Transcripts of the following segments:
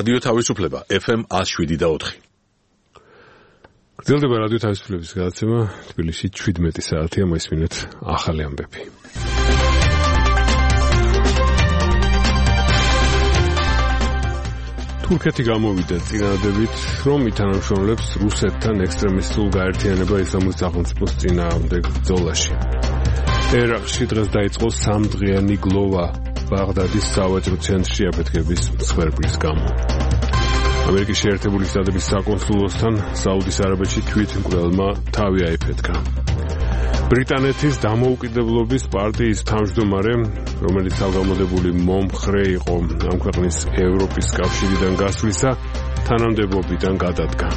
რადიო თავისუფლება FM 107.4. გრძელდება რადიო თავისუფლების გადაცემა. თბილისში 17 საათია, მოისმინეთ ახალი ამბები. თურქეთი გამოვიდა წინადადებით, რომ ითანამშრომლებს რუსეთთან ექსტრემისტულ გაერთიანება ისლამური სახელმწიფოს წინააღმდეგ ბრძოლაში. ერაყში დღეს დაიწყო სამდღიანი გლოვა ბაღდადის სავაჭრო ცენტრში აფეთქების მსხვერპლის გამო. ამერიკის შეერთებული შტატების საკონსულოსთან საუდის არაბეთში თვითმკვლელმა თავი აიფეთქა. ბრიტანეთის დამოუკიდებლობის პარტიის თავმჯდომარე, რომელიც თავგამოდებული მომხრე იყო ამ ქვეყნის ევროპის კავშირიდან გასვლისა, თანამდებობიდან გადადგა.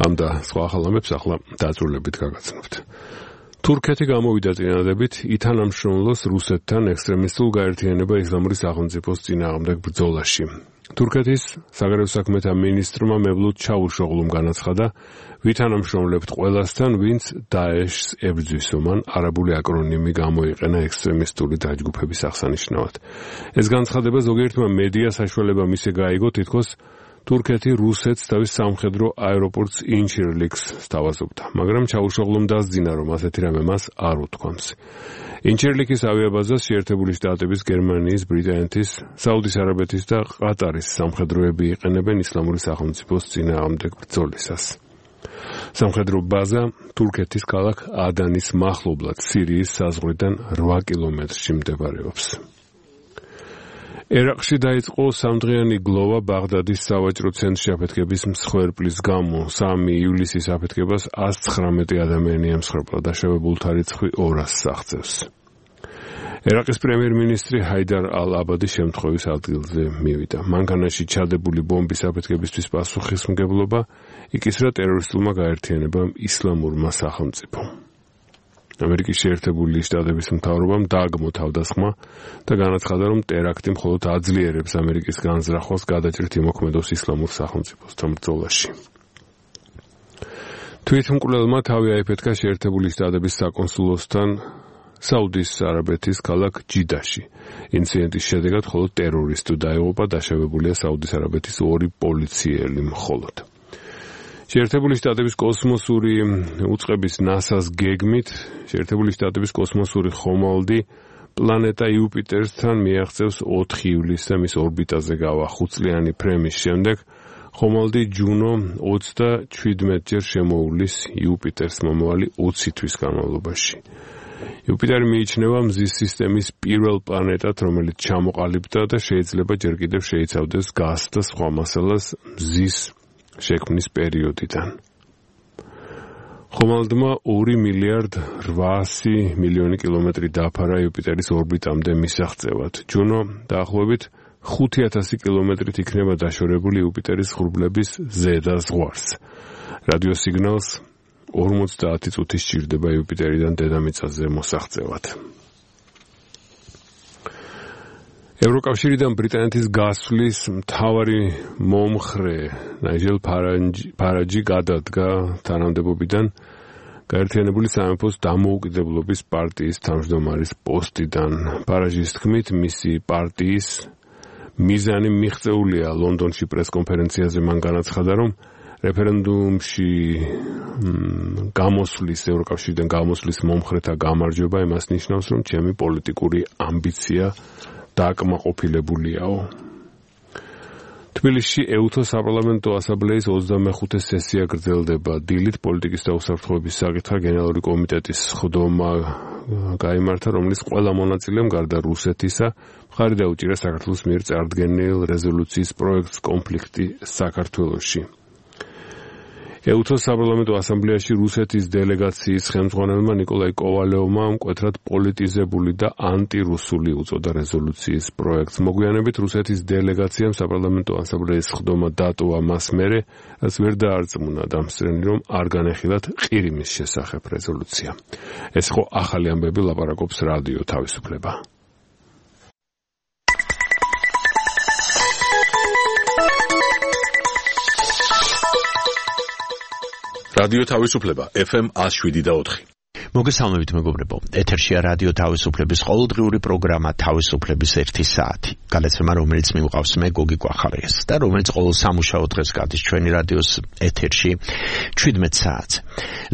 ამ და სხვა ახალ ამბებს ახლა დაწვრილებით გაგაცნობთ. თურქეთი გამოვიდა წინადადებით ითანამშრომლოს რუსეთთან ექსტრემისტულ გაერთიანება ისლამური სახელმწიფოს წინააღმდეგ ბრძოლაში. თურქეთის საგარეო საქმეთა მინისტრმა მებლუდ ჩავუშოღლუმ განაცხადა, ვითანამშრომლებთ ყველასთან, ვინც დაეშს ებრძვისო, მან არაბული აკრონიმი გამოიყენა ექსტრემისტული დაჯგუფების აღსანიშნავად. ეს განცხადება ზოგიერთმა მედია საშუალება მისე გაიგო, თითქოს თურქეთი რუსეთს თავის სამხედრო აეროპორტს ინჩირლიქს სთავაზობდა, მაგრამ ჩავუშოღლუმ დასძინა, რომ ასეთი რამე მას არ უთქვამს. ინჩირლიქის ავიაბაზას შეერთებული შტატების, გერმანიის, ბრიტანეთის, საუდის არაბეთის და ყატარის სამხედროები იყენებენ ისლამური სახელმწიფოს წინააღმდეგ ბრძოლისას. სამხედრო ბაზა თურქეთის ქალაქ ადანის მახლობლად, სირიის საზღვრიდან 8 კილომეტრში მდებარეობს. ერაყში დაიწყო სამდღიანი გლოვა ბაღდადის სავაჭრო ცენტრში აფეთქების მსხვერპლის გამო. 3 ივლისის აფეთქებას 119 ადამიანი ემსხვერპლა, დაშავებულთა რიცხვი 200-ს აღწევს. ერაყის პრემიერ-მინისტრი ჰაიდარ ალ-აბადი შემთხვევის ადგილზე მივიდა. მანქანაში ჩადებული ბომბის აფეთქებისთვის პასუხისმგებლობა იკისრა ტერორისტულმა გაერთიანებამ ისლამურმა სახელმწიფომ. ამერიკის შეერთებული შტატების მთავრობამ დააგმო თავდასხმა და განაცხადა, რომ ტერაქტი მხოლოდ აძლიერებს ამერიკის განზრახვას გადაჭრით იმოქმედოს ისლამურ სახელმწიფოსთან ბრძოლაში. თვითმკვლელმა თავი აიფეთქა შეერთებული შტატების საკონსულოსთან საუდის არაბეთის ქალაქ ჯიდაში. ინციდენტის შედეგად მხოლოდ ტერორისტი დაიღუპა, დაშავებულია საუდის არაბეთის 2 პოლიციელი მხოლოდ. შეერთებული შტატების კოსმოსური უწყების NASA-ს გეგმით, შეერთებული შტატების კოსმოსური ხომალდი პლანეტა იუპიტერთან მიაღწევს 4 ივლისს და მის ორბიტაზე გავა 5 წლიანი ფრემის შემდეგ, ხომალდი ჯუნო 37-ჯერ შემოუვლის იუპიტერს მომავალი 20 თვის განმავლობაში. იუპიტერი მიიჩნევა მზის სისტემის პირველ პლანეტად, რომელიც ჩამოყალიბდა და შეიძლება ჯერ კიდევ შეიცავდეს გაზს და სხვა მასალას მზის შექმნის პერიოდიდან. ხომალდმა 2 მილიარდ 800 მილიონი კილომეტრი დაფარა იუპიტერის ორბიტამდე მისაღწევად. ჯუნო დაახლოებით 5000 კილომეტრით იქნება დაშორებული იუპიტერის ღრუბლების ზედა ზღვარს. რადიოსიგნალს 50 წუთი სჭირდება იუპიტერიდან დედამიწაზე მოსაღწევად. ევროკავშირიდან ბრიტანეთის გასვლის მთავარი მომხრე ნაიჯელ ფარაჯი გადადგა თანამდებობიდან გაერთიანებული სამეფოს დამოუკიდებლობის პარტიის თავმჯდომარის პოსტიდან. ფარაჯის თქმით, მისი პარტიის მიზანი მიღწეულია. ლონდონში პრესკონფერენციაზე მან განაცხადა, რომ რეფერენდუმში ევროკავშირიდან გამოსვლის მომხრეთა გამარჯვება იმას ნიშნავს, რომ ჩემი პოლიტიკური ამბიცია დააკმაყოფილებულიაო. თბილისში EUTO საპარლამენტო ასამბლეის 25 სესია გრძელდება. დილით პოლიტიკის და უსაფრთხოების საკითხთა გენერალური კომიტეტის სხდომა გაიმართა, რომლის ყველა მონაწილემ გარდა რუსეთისა მხარი დაუჭირა საქართველოს მიერ წარდგენილ რეზოლუციის პროექტს კონფლიქტი საქართველოში. EUTO საპარლამენტო ასამბლეაში რუსეთის დელეგაციის ხელმძღვანელმა ნიკოლაი კოვალევმა მკვეთრად პოლიტიზებული და ანტირუსული უწოდა რეზოლუციის პროექტს. მოგვიანებით რუსეთის დელეგაციამ საპარლამენტო ასამბლეის სხდომა დატოვა მას მერე, რაც ვერ დაარწმუნა დამსწრენი, რომ არ განეხილათ ყირიმის შესახებ რეზოლუცია. ეს ხო ახალი ამბები, ლაპარაკობს რადიო თავისუფლება. რადიო თავისუფლება FM 107.4. მოგესალმებით მეგობრებო, ეთერშია რადიო თავისუფლების ყოველდღიური პროგრამა თავისუფლების 1 საათი. გადაცემა, რომელიც მივყავს მე გოგი კვახარიას და რომელიც ყოველ სამუშაო დღეს გადის ჩვენი რადიოს ეთერში 17 საათზე.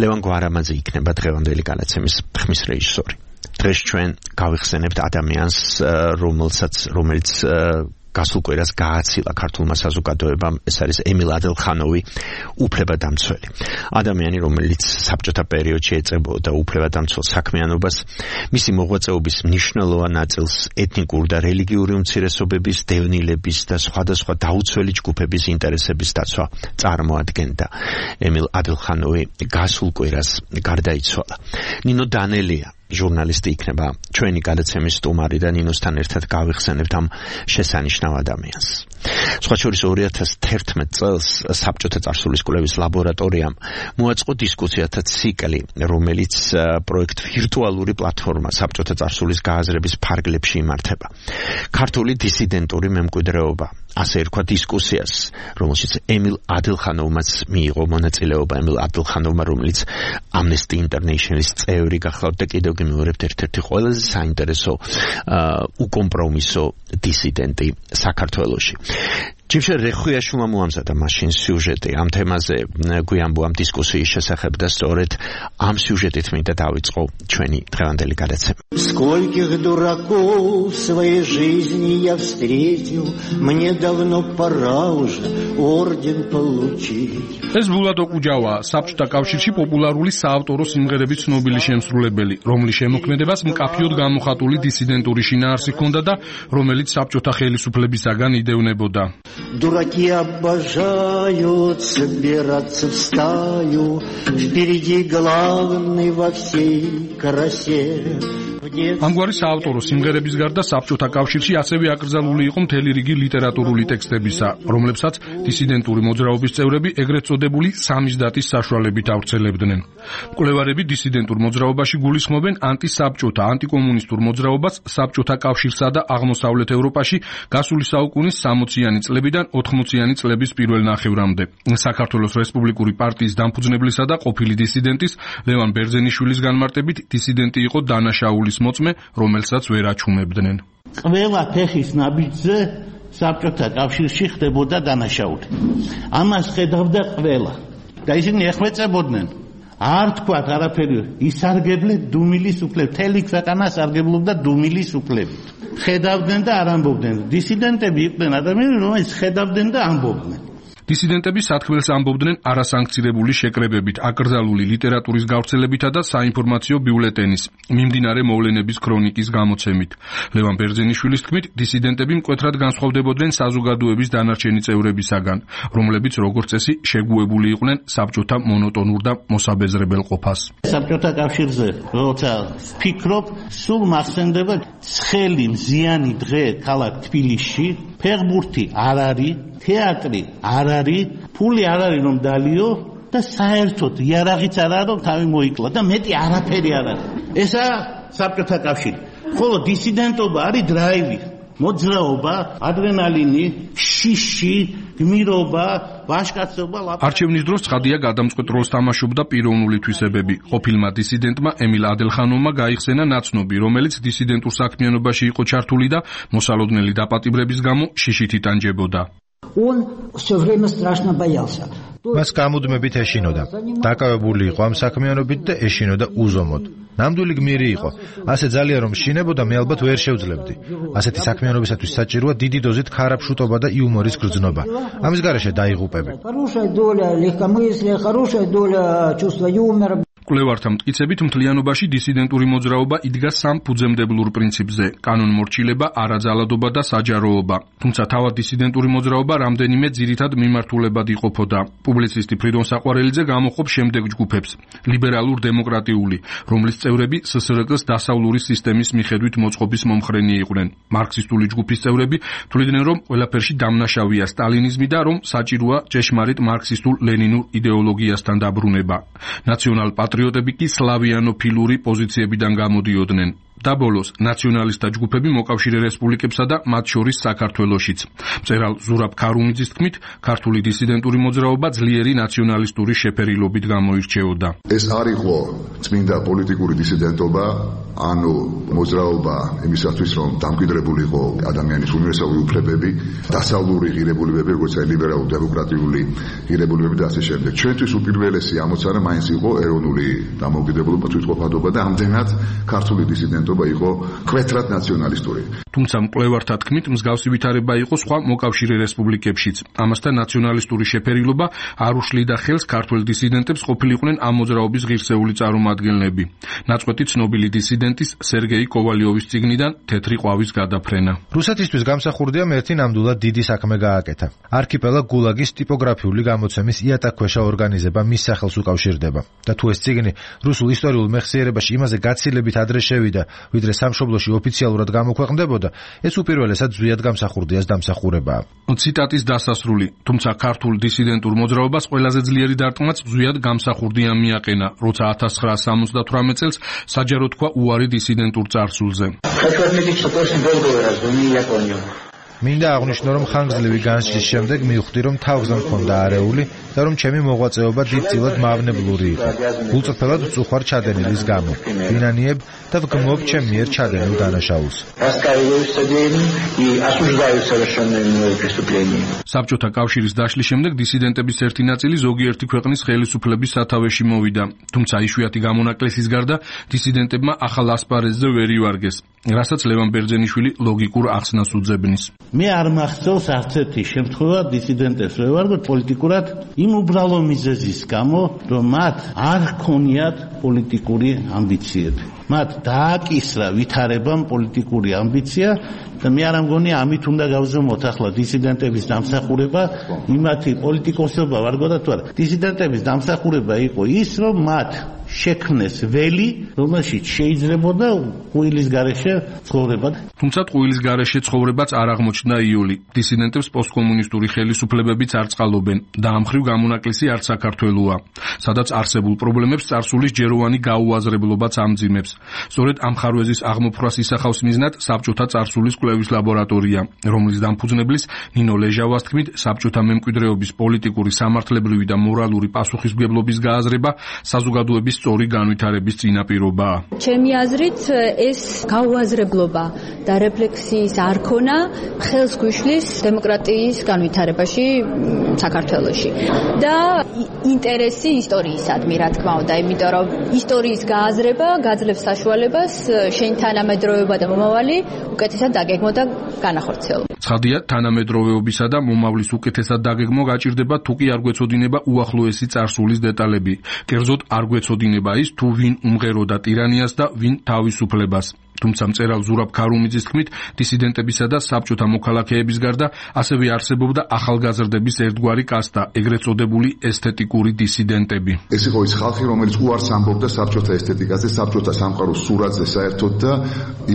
ლევან გვარამაძე იქნება დღევანდელი გადაცემის ხმის რეჟისორი. დღეს ჩვენ გავიხსენებთ ადამიანს, რომელიც გასულ კვირას გააცილა ქართულმა საზოგადოებამ, ეს არის ემილ ადელხანოვი, უფლებადამცველი. ადამიანი, რომელიც საბჭოთა პერიოდში ეწებოდა უფლებადამცველ საქმიანობას, მისი მოღვაწეობის მნიშვნელოვან ნაწილს ეთნიკური და რელიგიური უმცირესობების, დევნილების და სხვადასხვა დაუცველი ჯგუფების ინტერესების დაცვა წარმოადგენდა. ემილ ადელხანოვი გასულ კვირას გარდაიცვალა. ნინო დანელია ჟურნალისტი იქნება ჩვენი გადაცემის სტუმარი და ნინოსთან ერთად გავიხსენებთ ამ შესანიშნავ ადამიანს. სხვა შორის 2011 წელს საბჭოთა წარსულის კვლევის ლაბორატორიამ მოაწყო დისკუსიათა ციკლი, რომელიც პროექტ ვირტუალური პლატფორმა საბჭოთა წარსულის გააზრების ფარგლებში იმართება. ქართული დისიდენტური მემკვიდრეობა, ასე ერქვა დისკუსიას, რომელშიც ემილ ადელხანოვმაც მიიღო მონაწილეობა. ემილ ადელხანოვმა, რომელიც Amnesty International-ის წევრი გახლავთ და კიდევ გიმეორებთ ერთ-ერთი ყველაზე საინტერესო უკომპრომისო დისიდენტი საქართველოში. ჯიმშე რეხვიაშვილმა მოამზადა მაშინ სიუჟეტი ამ თემაზე, გვიამბო ამ დისკუსიის შესახებ და სწორედ ამ სიუჟეტით მინდა დავიწყო ჩვენი დღევანდელი გადაცემა. Скольких дураков в своей жизни я встретил, мне давно пора уже орден получить. ეს ბულატო კუჯავა, საბჭოთა კავშირში პოპულარული საავტორო სიმღერების ცნობილი შემსრულებელი, რომლის შემოქმედებას მკაფიოდ გამოხატული დისიდენტური შინაარსი ჰქონდა და რომელიც საბჭოთა ხელისუფლებისაგან იდევნებოდა. Дураки обожают собираться в стаю, впереди главный во всей красе. ამგვარი საავტორო სიმღერების გარდა საბჭოთა კავშირში ასევე აკრძალული იყო მთელი რიგი ლიტერატურული ტექსტებისა, რომლებსაც დისიდენტური მოძრაობის წევრები ეგრეთ წოდებული სამიზდატის საშუალებით ავრცელებდნენ. მკვლევარები დისიდენტურ მოძრაობაში გულისხმობენ ანტისაბჭოთა, ანტიკომუნისტურ მოძრაობას საბჭოთა კავშირსა და აღმოსავლეთ ევროპაში გასული საუკუნის 60-იანი წლებიდან 80-იანი წლების პირველ ნახევრამდე. საქართველოს რესპუბლიკური პარტიის დამფუძნებლისა და ყოფილი დისიდენტის ლევან ბერძენიშვილის განმარტებით დისიდენტი იყო დანაშაულის მოწმე, რომელსაც ვერ აჩუმებდნენ. ყველა ფეხის ნაბიჯზე საბჭოთა კავშირში ხდებოდა დანაშაული. ამას ხედავდა ყველა. და ისინი ეხვეწებოდნენ. არ თქვათ არაფერი, ისარგებლეთ დუმილის უფლებით. მთელი ქვეყანა სარგებლობდა დუმილის უფლებით. ხედავდნენ და არ ამბობდნენ. დისიდენტები იყვნენ ადამიანები, რომლებიც ხედავდნენ და ამბობდნენ. დისიდენტები სათქმელს ამბობდნენ არასანქცირებული შეკრებებით, აკრძალული ლიტერატურის გავრცელებითა და საინფორმაციო ბიულეტენის, მიმდინარე მოვლენების ქრონიკის გამოცემით. ლევან ბერძენიშვილის თქმით, დისიდენტები მკვეთრად განსხვავდებოდნენ საზოგადოების დანარჩენი წევრებისაგან, რომლებიც როგორც წესი შეგუებული იყვნენ საბჭოთა მონოტონურ და მოსაბეზრებელ ყოფას. საბჭოთა კავშირზე როცა ვფიქრობ, სულ მახსენდება ცხელი მზიანი დღე ქალაქ თბილისში, ფეხბურთი არ არის, თეატრი არ არის, ფული არ არის რომ დალიო და საერთოდ იარაღიც არ არის რომ თავი მოიკლა და მეტი არაფერი არ არის. ესაა საბჭოთა კავშირი. ხოლო დისიდენტობა არის დრაივი, მოძრაობა, ადრენალინი, შიში, გმირობა, ვაჟკაცობა. არჩევნის დროს ცხადია გადამწყვეტ როლს თამაშობდა პიროვნული თვისებები. ყოფილმა დისიდენტმა ემილ ადელხანოვმა გაიხსენა ნაცნობი, რომელიც დისიდენტურ საქმიანობაში იყო ჩართული და მოსალოდნელი დაპატიმრების გამო შიშით იტანჯებოდა. Он все время страшно боялся. მას გამუდმებით ეშინოდა. დაკავებული იყო ამ საქმიანობით და ეშინოდა უზომოდ. ნამდვილი გმირი იყო. ასე ძალიან რომ შინებოდა, მე ალბათ ვერ შევძლებდი. ასეთი საქმიანობისათვის საჭიროა დიდი დოზით ქარაფშუტობა და იუმორის გრძნობა. ამის გარეშე დაიღუპები. Хорошая доля легкомыслия, хорошая доля чувства юмора. მკვლევართა მტკიცებით მთლიანობაში დისიდენტური მოძრაობა იდგა სამ ფუძემდებლურ პრინციპზე: კანონმორჩილება, არაძალადობა და საჯაროობა. თუმცა თავად დისიდენტური მოძრაობა რამდენიმე ძირითად მიმართულებად იყოფოდა. პუბლიცისტი ფრიდონ საყვარელიძე გამოხობს შემდეგ ჯგუფებს: ლიბერალურ-დემოკრატიული, რომლის წევრები SSRK-ს დასავლური სისტემის მიხედვით მოწყობის მომხრენი იყვნენ. მარქსისტული ჯგუფის წევრები თვლიდნენ, რომ ყველაფერში დამნაშავეა სტალინიზმი და რომ საჭიროა ჭეშმარიტ მარქსისტულ-ლენინურ იდეოლოგიასთან დაბრუნება. ნაციონალ-პატრიოტები კი სლავიანოფილური პოზიციებიდან გამოდიოდნენ. და ბოლოს ნაციონალისტთა ჯგუფები მოკავშირე რესპუბლიკებსა და მათ შორის საქართველოშიც. მწერალ ზურაბ ქარუმიძის თქმით, ქართული დისიდენტური მოძრაობა ძლიერი ნაციონალისტური შეფერილობით გამოირჩეოდა. ეს არ იყო წმინდა პოლიტიკური დისიდენტობა, ანუ მოძრაობა იმისათვის, რომ დამკვიდრებულიყო ადამიანის უნივერსალური უფლებები, დასავლური ღირებულებები, როგორც ლიბერალურ დემოკრატიული ღირებულებები და ასე შემდეგ. ჩვენთვის უპირველესი ამოცანა მაინც იყო ეროვნული დამოუკიდებლობა, თვითყოფადობა და ამდენად ქართული დისიდენტობა იყო კვეთრად ნაციონალისტური. თუმცა მკვლევართა თქმით, მსგავსი ვითარება იყო სხვა მოკავშირე რესპუბლიკებშიც. ამასთან ნაციონალისტური შეფერილობა არ უშლიდა ხელს ქართველ დისიდენტებს ყოფილიყვნენ ამ მოძრაობის ღირსეული წარმომადგენლები. ნაწყვეტი ცნობილი დისიდენტის სერგეი კოვალიოვის წიგნიდან თეთრი ყვავის გადაფრენა. რუსეთისთვის გამსახურდია ერთი ნამდვილად დიდი საქმე გააკეთა. არქიპელაგ გულაგის ტიპოგრაფიული გამოცემის იატაკქვეშა ორგანიზება მის სახელს უკავშირდება. და თუ ეს წიგნი რუსულ ისტორიულ მეხსიერებაში იმაზე გაცილებით ადრე შევიდა, ვიდრე სამშობლოში ოფიციალურად გამოქვეყნდებოდა, ეს უპირველესად ზვიად გამსახურდიას დამსახურებაა. ციტატის დასასრული. თუმცა ქართულ დისიდენტურ მოძრაობას ყველაზე ძლიერი დარტყმაც ზვიად გამსახურდია მიაყენა, როცა 1978 წელს საჯარო თქვა უარი დისიდენტურ წარსულზე. მინდა აღვნიშნო, რომ ხანგრძლივი განსჯის შემდეგ მივხვდი, რომ თავგზა მქონდა არეული და რომ ჩემი მოღვაწეობა დიდწილად მავნებლური იყო. გულწრფელად ვწუხარ ჩადენილის გამო. ვინანიებ და ვგმობ ჩემ მიერ ჩადენილ დანაშაულს. საბჭოთა კავშირის დაშლის შემდეგ დისიდენტების ერთი ნაწილი ზოგიერთი ქვეყნის ხელისუფლების სათავეში მოვიდა. თუმცა იშვიათი გამონაკლისის გარდა დისიდენტებმა ახალ ასპარეზზე ვერ ივარგეს, რასაც ლევან ბერძენიშვილი ლოგიკურ ახსნას უძებნის. მე არ მახსოვს არც ერთი შემთხვევა დისიდენტებს ვერ ვარგოთ პოლიტიკურად იმ უბრალო მიზეზის გამო, რომ მათ არ ჰქონიათ პოლიტიკური ამბიციები. მათ დააკისრა ვითარებამ პოლიტიკური ამბიცია და მე არ ამგონია ამით უნდა გავზომოთ ახლა დისიდენტების დამსახურება, იმათი პოლიტიკოსობა ვარგოდა თუ არა. დისიდენტების დამსახურება იყო ის, რომ მათ შექმნეს ველი, რომელშიც შეიძლებოდა ყვილის გარეშე ცხოვრება. თუმცა ყვილის გარეშე ცხოვრებაც არ აღმოჩნდა იოლი. დისიდენტებს პოსტკომუნისტური ხელისუფლებებიც არ წყალობენ და ამ მხრივ გამონაკლისი არც საქართველოა, სადაც არსებულ პრობლემებს წარსულის ჯეროვანი გაუაზრებლობაც ამძიმებს. სწორედ ამ ხარვეზის აღმოფხვრას ისახავს მიზნად საბჭოთა წარსულის კვლევის ლაბორატორია, რომლის დამფუძნებლის ნინო ლეჟავას თქმით, საბჭოთა მემკვიდრეობის პოლიტიკური, სამართლებრივი და მორალური პასუხისმგებლობის გააზრება საზოგადოების სწორი განვითარების წინაპირობაა. ჩემი აზრით, ეს გაუაზრებლობა და რეფლექსიის არქონა ხელს გვიშლის დემოკრატიის განვითარებაში საქართველოში და ინტერესი ისტორიისადმი, რა თქმა უნდა, იმიტომ რომ ისტორიის გააზრება გაძლევს საშუალებას შენ თანამედროვეობა და მომავალი უკეთესად დაგეგმო და განახორციელო. ცხადია, თანამედროვეობისა და მომავლის უკეთესად დაგეგმო გაჭირდება, თუ კი არ გვეცოდინება უახლოესი წარსულის დეტალები. კერძოდ არ გვეცოდინება ის, თუ ვინ უმღეროდა ტირანიას და ვინ თავისუფლებას. თუმცა მწერალ ზურაბ ქარუმიძის თქმით, დისიდენტებისა და საბჭოთა მოქალაქეების გარდა ასევე არსებობდა ახალგაზრდების ერთგვარი კასტა, ეგრეთ წოდებული ესთეტიკური დისიდენტები. ეს იყო ის ხალხი, რომელიც უარს ამბობდა საბჭოთა ესთეტიკაზე, საბჭოთა სამყაროს სურათზე საერთოდ და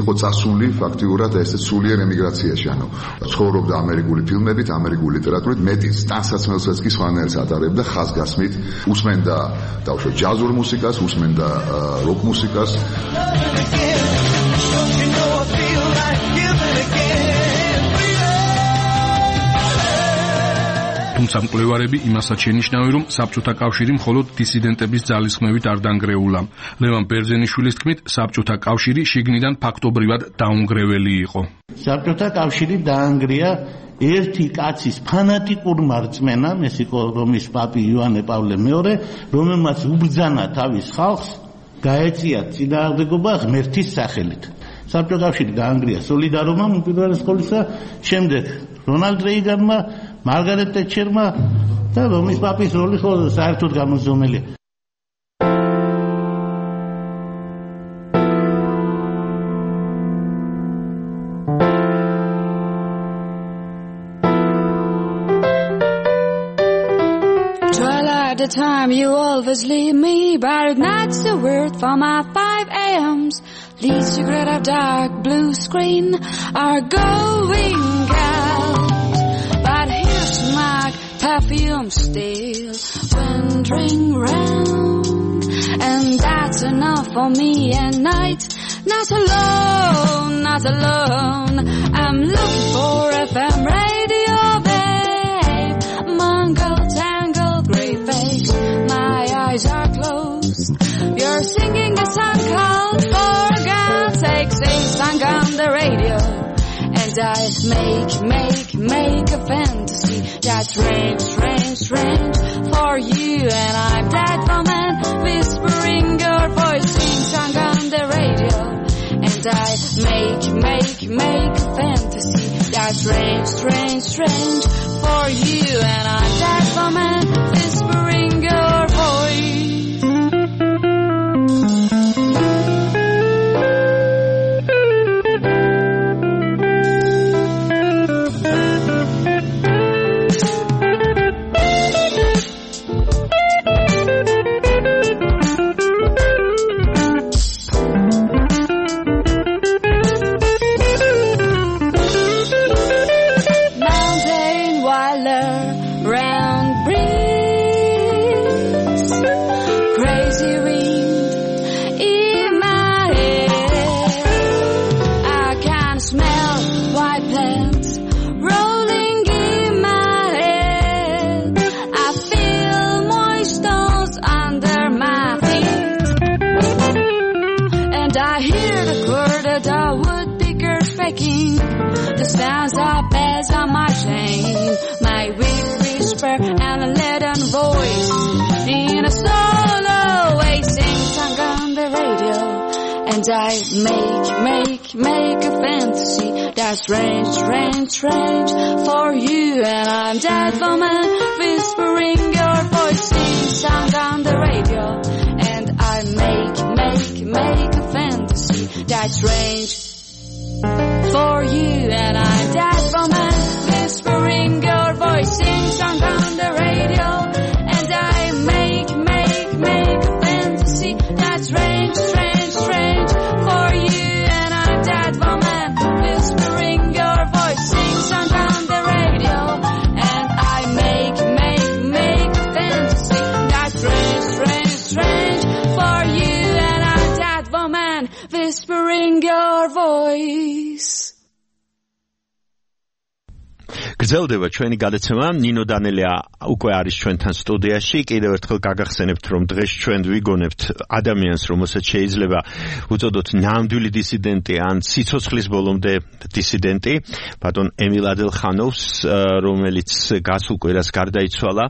იყო წასული ფაქტიურად ესეც სულიერ ემიგრაციაში, ანუ ცხოვრობდა ამერიკული ფილმებით, ამერიკული ლიტერატურით, მეტიც ტანსაცმელსაც კი სხვანაირს ატარებდა ხაზგასმით, უსმენდა დაუშვათ ჯაზურ მუსიკას, უსმენდა როკ მუსიკას. თუმცა მკვლევარები იმასაც შენიშნავენ, რომ საბჭოთა კავშირი მხოლოდ დისიდენტების ძალისხმევით არ დაანგრეულა. ლევან ბერძენიშვილის თქმით, საბჭოთა კავშირი შიგნიდან ფაქტობრივად დაუნგრეველი იყო. საბჭოთა კავშირი დაანგრია ერთი კაცის ფანატიკურმა რწმენამ, ეს იყო რომის პაპი იოანე პავლე მეორე, რომელმაც უბრძანა თავის ხალხს, გაეწია წინააღმდეგობა ღმერთის სახელით. საბჭოთა კავშირი დაანგრია სოლიდარობამ უპირველეს ყოვლისა, შემდეგ რონალდ რეიგანმა, მარგარეტ ტეტჩერმა და რომის პაპის როლი ხო საერთოდ გამოზომელია. Twilight the time you always leave me, but not a word from my 5 a.m.s. Least secret of dark blue screen are going out, but here's my perfume still wandering round, and that's enough for me at night. not alone, not alone. I'm looking for FM radio, babe. Mangled, tangled, grey face. My eyes are closed. You're singing a song called For God's Sake. Sing song on the radio. And I make a fantasy that's strange for you. And I'm that woman whispering your voice, sing song on the radio. And I make a fantasy that's strange for you. And I'm that woman whispering your voice. The sounds of bells on my chain, my whisper and a leaden voice in a solo way, sing song on the radio. And I make a fantasy that's strange for you. And I'm that woman whispering your voice, sing song on the radio. And I make a fantasy that's strange for you. And I'm that woman whispering your voice, sing song on the radio. And I make a fantasy that's strange for you. And I'm that woman whispering your voice, sing song on the radio. And I make a fantasy that's strange for you. And I'm that woman whispering your voice. გრძელდება ჩვენი გადაცემა. ნინო დანელია უკვე არის ჩვენთან სტუდიაში. კიდევ ერთხელ გაგახსენებთ, რომ დღეს ჩვენ ვიგონებთ ადამიანს, რომელსაც შეიძლება უწოდოთ ნამდვილი დისიდენტი ან სიცოცხლის ბოლომდე დისიდენტი, ბატონ ემილ ადელხანოვს, რომელიც გასულ კვირას გარდაიცვალა.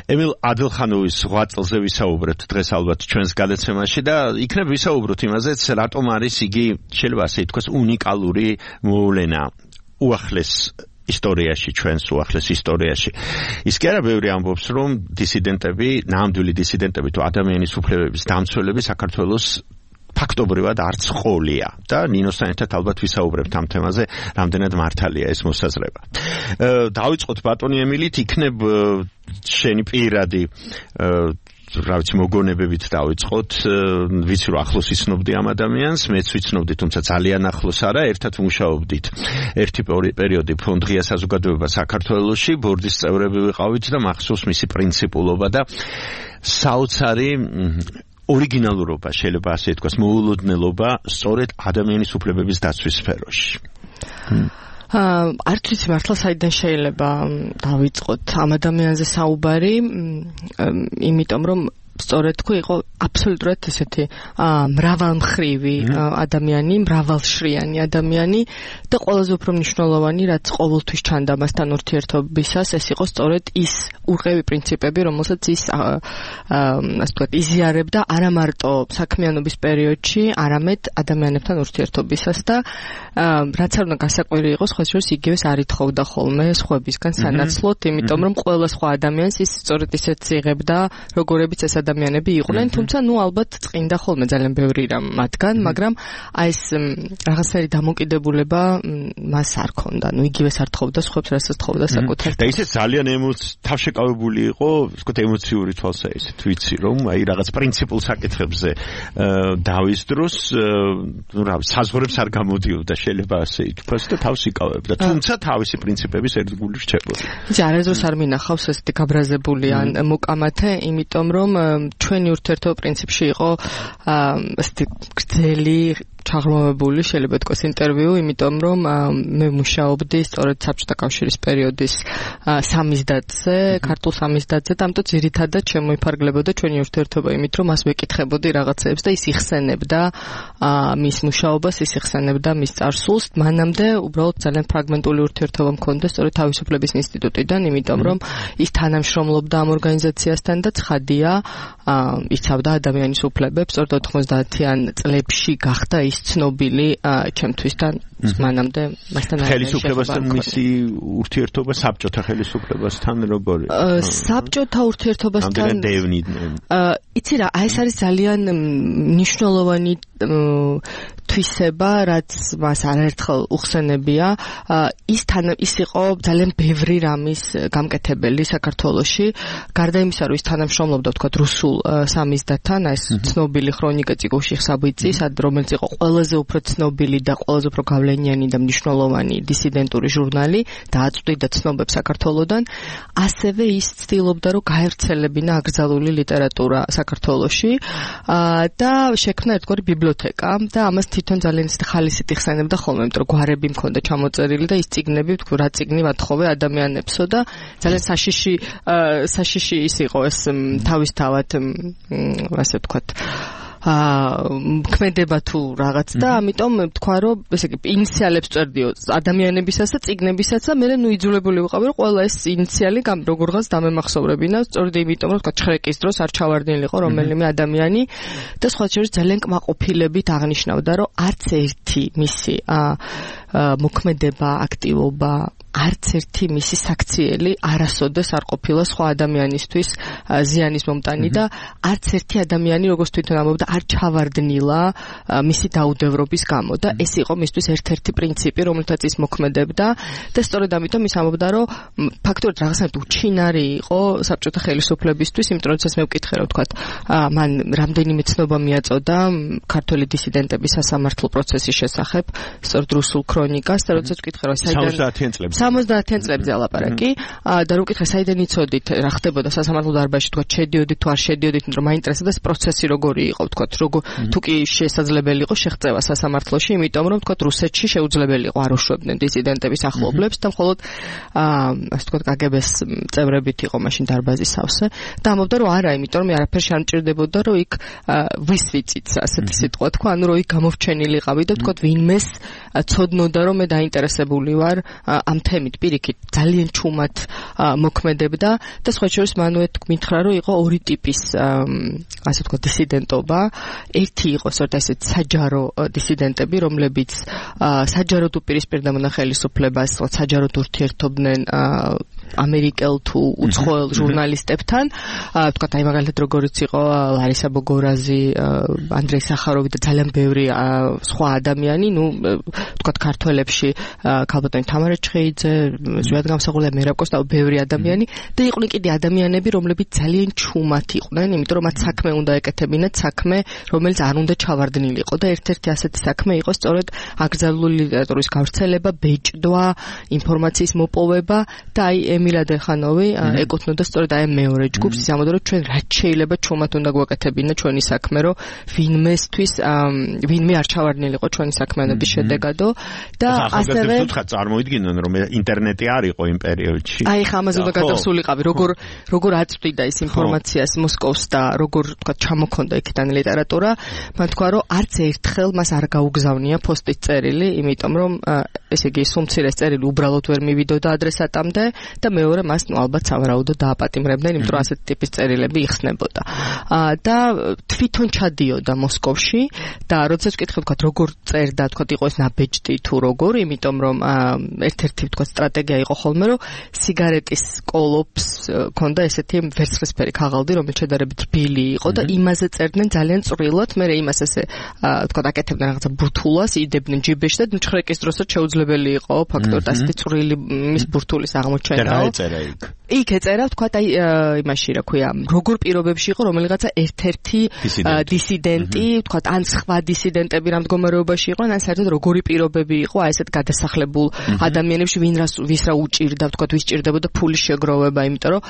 ემილ ადელხანოვის 8 წელზე ვისაუბრეთ დღეს ალბათ ჩვენს გადაცემაში და იქნებ ვისაუბროთ იმაზეც, რატომ არის იგი, შეიძლება ასე ითქვას, უნიკალური მოვლენა უახლეს ისტორიაში, ჩვენს უახლეს ისტორიაში. ის კი არა ბევრი ამბობს, რომ დისიდენტები, ნამდვილი დისიდენტები თუ ადამიანის უფლებების დამცველები საქართველოს ფაქტობრივად არც ყოლია და ნინოსთან ერთად ალბათ ვისაუბრებთ ამ თემაზე, რამდენად მართალია ეს მოსაზრება. დავიწყოთ ბატონი ემილით, იქნებ შენი პირადი რა ვიცი მოგონებებით დავიწყოთ. ვიცი რომ ახლოს იცნობდი ამ ადამიანს, მეც ვიცნობდი, თუმცა ძალიან ახლოს არა. ერთად მუშაობდით ერთი პერიოდი ფონდ ღია საზოგადოება საქართველოში, ბორდის წევრები ვიყავით და მახსოვს მისი პრინციპულობა და საოცარი ორიგინალურობა, შეიძლება ასე ითქვას, მოულოდნელობა სწორედ ადამიანის უფლებების დაცვის სფეროში. არც ვიცი მართლა საიდან შეიძლება დავიწყოთ ამ ადამიანზე საუბარი, იმიტომ რომ სწორედ თქვი იყო აბსოლუტურად ესეთი მრავალმხრივი ადამიანი, მრავალშრიანი ადამიანი და ყველაზე უფრო მნიშვნელოვანი, რაც ყოველთვის ჩანდა მასთან ურთიერთობისას, ეს იყო სწორედ ის უყევი პრინციპები, რომელსაც ის ასე ვთქვათ, იზიარებდა არა მარტო საქმიანობის პერიოდში, არამედ ადამიანებთან ურთიერთობისას და რაც არ უნდა გასაკვირი იყოს, სხვა შორის იგივეს არ ითხოვდა ხოლმე სხვებისგან სანაცვლოდ, იმიტომ რომ ყველა სხვა ადამიანს ის სწორედ ისეთ იღებდა, როგორებიც ეს ადამიანები იყვნენ, თუმცა ნუ ალბათ წინდა ხოლმე ძალიან ბევრი რამ მათგან, მაგრამ აი ეს რაღაცნაირი დამოკიდებულება მას არ ქონდა. ნუ იგივეს არ თხოვდა სხვებს, რასაც თხოვდა საკუთარ. და ისე ძალიან თავშეკავებული იყო, ვთქვათ, ემოციური თვალსაჩინო, ვიცი რომ აი რაღაც პრინციპულ საკითხებზე დავის დროს, ნუ რა, საზღვრებს არ გამოდიოდა, შეიძლება ასე ითქვას და თავს იკავებდა. თუმცა თავისი პრინციპების ერთგული რჩებოდა. იცი, არასდროს არ მინახავს ესეთი გაბრაზებული ან მოკამათე, იმიტომ რომ ჩვენი ურთიერთობა პრინციპში იყო ესეთი გრძელი ჩაღრმავებული შეიძლება თქვას ინტერვიუ, იმიტომ რომ მე მუშაობდი სწორედ საბჭოთა კავშირის პერიოდის სამიზდაცზე, ქართულ სამიზდაცზე, და ამიტომ ძირითადად შემოიფარგლებოდა ჩვენი ურთიერთობა იმით, რომ მას ვეკითხებოდი რაღაცეებს და ის იხსენებდა მის მუშაობას, ის იხსენებდა მის წარსულს. მანამდე უბრალოდ ძალიან ფრაგმენტული ურთიერთობა მქონდა სწორედ თავისუფლების ინსტიტუტიდან, იმიტომ რომ ის თანამშრომლობდა ამ ორგანიზაციასთან და ცხადია იცავდა ადამიანის უფლებებს. სწორედ 90-იან წლებში გახდა ის ცნობილი ჩემთვის და მანამდე მასთან ხელისუფლებასთან მისი ურთიერთობა საბჭოთა ხელისუფლებასთან როგორი? საბჭოთა ურთიერთობასთან იცი რა, ეს არის ძალიან მნიშვნელოვანი თვისება, რაც მას არაერთხელ უხსენებია. ის იყო ძალიან ბევრი რამის გამკეთებელი საქართველოში. გარდა იმისა, რომ ის თანამშრომლობდა თქვა რუსულ სამიზდათთან, ეს ცნობილი ქრონიკა წიგოში ხსაბიძი, რომელიც იყო ყველაზე უფრო ცნობილი და ყველაზე უფრო გავლენიანი და მნიშვნელოვანი დისიდენტური ჟურნალი და აწვდიდა ცნობებს საქართველოდან, ასევე ის ცდილობდა, რომ გაევრცელებინა აკრძალული ლიტერატურა საქართველოში და შექმნა ერთგვარი ბიბლიოთეკა და ამას თვითონ ძალიან ხალისით იხსენებდა ხოლმე, იმიტომ რომ გვარები მქონდა ჩამოწერილი და ის წიგნები, თქვა რა წიგნი ვათხოვე ადამიანებსო და ძალიან საშიში ის იყო ეს თავისთავად ასე ვთქვათ ქმედება თუ რაღაც და ამიტომ თქვა რომ ესე იგი ინიციალებს წერდიო ადამიანებისაც და წიგნებისაც და მე იძულებული ვიყავი რომ ყველა ეს ინიციალი როგორღაც დამემახსოვრებინა სწორედ იმიტომ რომ თქვა ჩხრეკის დროს არ ჩავარდნილიყო რომელიმე ადამიანი და სხვა შორის ძალიან კმაყოფილებით აღნიშნავდა რომ არც ერთი მისი მოქმედება აქტივობა არც ერთი მისი საქციელი არასოდეს არ ყოფილა სხვა ადამიანისთვის ზიანის მომტანი და არც ერთი ადამიანი როგორც თვითონ ამბობდა არ ჩავარდნილა მისი დაუდევრობის გამო და ეს იყო მისთვის ერთ-ერთი პრინციპი რომელთაც ის მოქმედებდა და სწორედ ამიტომ ის ამბობდა რომ ფაქტობრივად რაღაცნაირად უჩინარი იყო საბჭოთა ხელისუფლებისთვის იმიტომ რომ ეს მე ვკითხე რომ თქვა მან რამდენიმე ცნობა მიაწოდა ქართველი დისიდენტების სასამართლო პროცესის შესახებ სწორედ რუსულ ქრონიკას და როდესაც ვკითხე რომ საიდან 70-იან წლებზე ალაპარაკი და რო ვკითხე საიდან იცოდით რა ხდებოდა სასამართლო დარბაზში თქვა შედიოდით თუ არ შედიოდით იმიტომ რომ მაინტერესებდა ეს პროცესი როგორი იყო თქვა როგორ თუ კი შესაძლებელი იყო შეღწევა სასამართლოში იმიტომ რომ თქვა რუსეთში შეუძლებელი იყო არ უშვებდნენ დისიდენტების ახლობლებს და მხოლოდ ასე თქვა კგბ-ს წევრებით იყო მაშინ დარბაზის სავსე და ამბობდა რომ არა იმიტომ რომ არაფერში არ მჭირდებოდა რომ იქ ვისვიცით ასეთი სიტყვა თქვა ანუ რომ იქ გამოვჩენილიყავი და თქვა ვინმეს ცოდნოდა რომ მე დაინტერესებული ვარ ამ თემით პირიქით ძალიან ჩუმად მოქმედებდა და სხვა შორის მანვე მითხრა რომ იყო ორი ტიპის ასე ვთქვათ დისიდენტობა ერთი იყო სწორედ ესეთ საჯარო დისიდენტები რომლებიც საჯაროდ უპირისპირდებოდნენ ხელისუფლებას საჯაროდ ურთიერთობდნენ ამერიკელ თუ უცხოელ ჟურნალისტებთან ვთქვათ აი მაგალითად როგორიც იყო ლარისა ბოგორაზი ანდრეი სახაროვი და ძალიან ბევრი სხვა ადამიანი ნუ ვთქვათ ქართველებში ქალბატონი თამარა ჩხეიძე ზვიად გამსახურდა მერაბკოს და ბევრი ადამიანი და იყვნენ კიდე ადამიანები რომლებიც ძალიან ჩუმად იყვნენ იმიტომ რომ მათ საქმე უნდა ეკეთებინათ საქმე რომელიც არ უნდა ჩავარდნილიყო და ერთ-ერთი ასეთი საქმე იყო სწორედ აკრძალული ლიტერატურის გავრცელება ბეჭდვა ინფორმაციის მოპოვება და აი ემილ ადერხანოვი ეკუთვნოდა სწორედ აი მეორე ჯგუფს ის ამბობდა რომ ჩვენ რაც შეიძლება ჩუმად უნდა გვაკეთებინა ჩვენი საქმე რომ ვინმე არ ჩავარდნილიყო ჩვენი საქმიანობის შედეგადო და ასევე წარმოიდგინონ რომ ინტერნეტი არ იყო იმ პერიოდში აი ხა ამაზე უნდა გადასულიყავი როგორ აწვდიდა ის ინფორმაციას მოსკოვს და როგორ თქვა ჩამოქონდა იქიდან ლიტერატურა მან თქვა რომ არც ერთხელ მას არ გაუგზავნია პოსტით წერილი იმიტომ რომ ესე იგი სუმცირეს წერილი უბრალოდ ვერ მივიდოდა ადრესატამდე და მეორე მას ნუ ალბათ სავარაუდოდ დააპატიმრებდნენ იმიტომ რომ ასეთი ტიპის წერილები იხსნებოდა და თვითონ ჩადიოდა მოსკოვში და როდესაც ვკითხე თქვა როგორ წერდა თქვა იყო ეს ნაბეჭდი თუ როგორ იმიტომ რომ ერთ-ერთი თქვა სტრატეგია იყო ხოლმე რომ სიგარეტის კოლოფს ქონდა ესეთი ვერცხლისფერი ქაღალდი რომელიც შედარებით რბილი იყო და იმაზე წერდნენ ძალიან წვრილად მე იმას ესე თქვა აკეთებდნენ რაღაცა ბურთულას იდებდნენ ჯიბეში და ჩხრეკის დროსაც შეუძლებელი იყო ფაქტორად ასეთი წვრილი მის ბურთულის აღმოჩენა და რა ეწერა იქ იქ ეწერა თქვა აი იმაში რა ქვია როგორ პირობებში იყო რომელიღაცა ერთ-ერთი დისიდენტი თქვა ან სხვა დისიდენტები რა მდგომარეობაში იყო ან საერთოდ როგორი პირობები იყო აი ესეთ გადასახლებულ ადამიანებში ვის რა უჭირდა თქვა ვის ჭირდებოდა ფულის შეგროვება იმიტომ რომ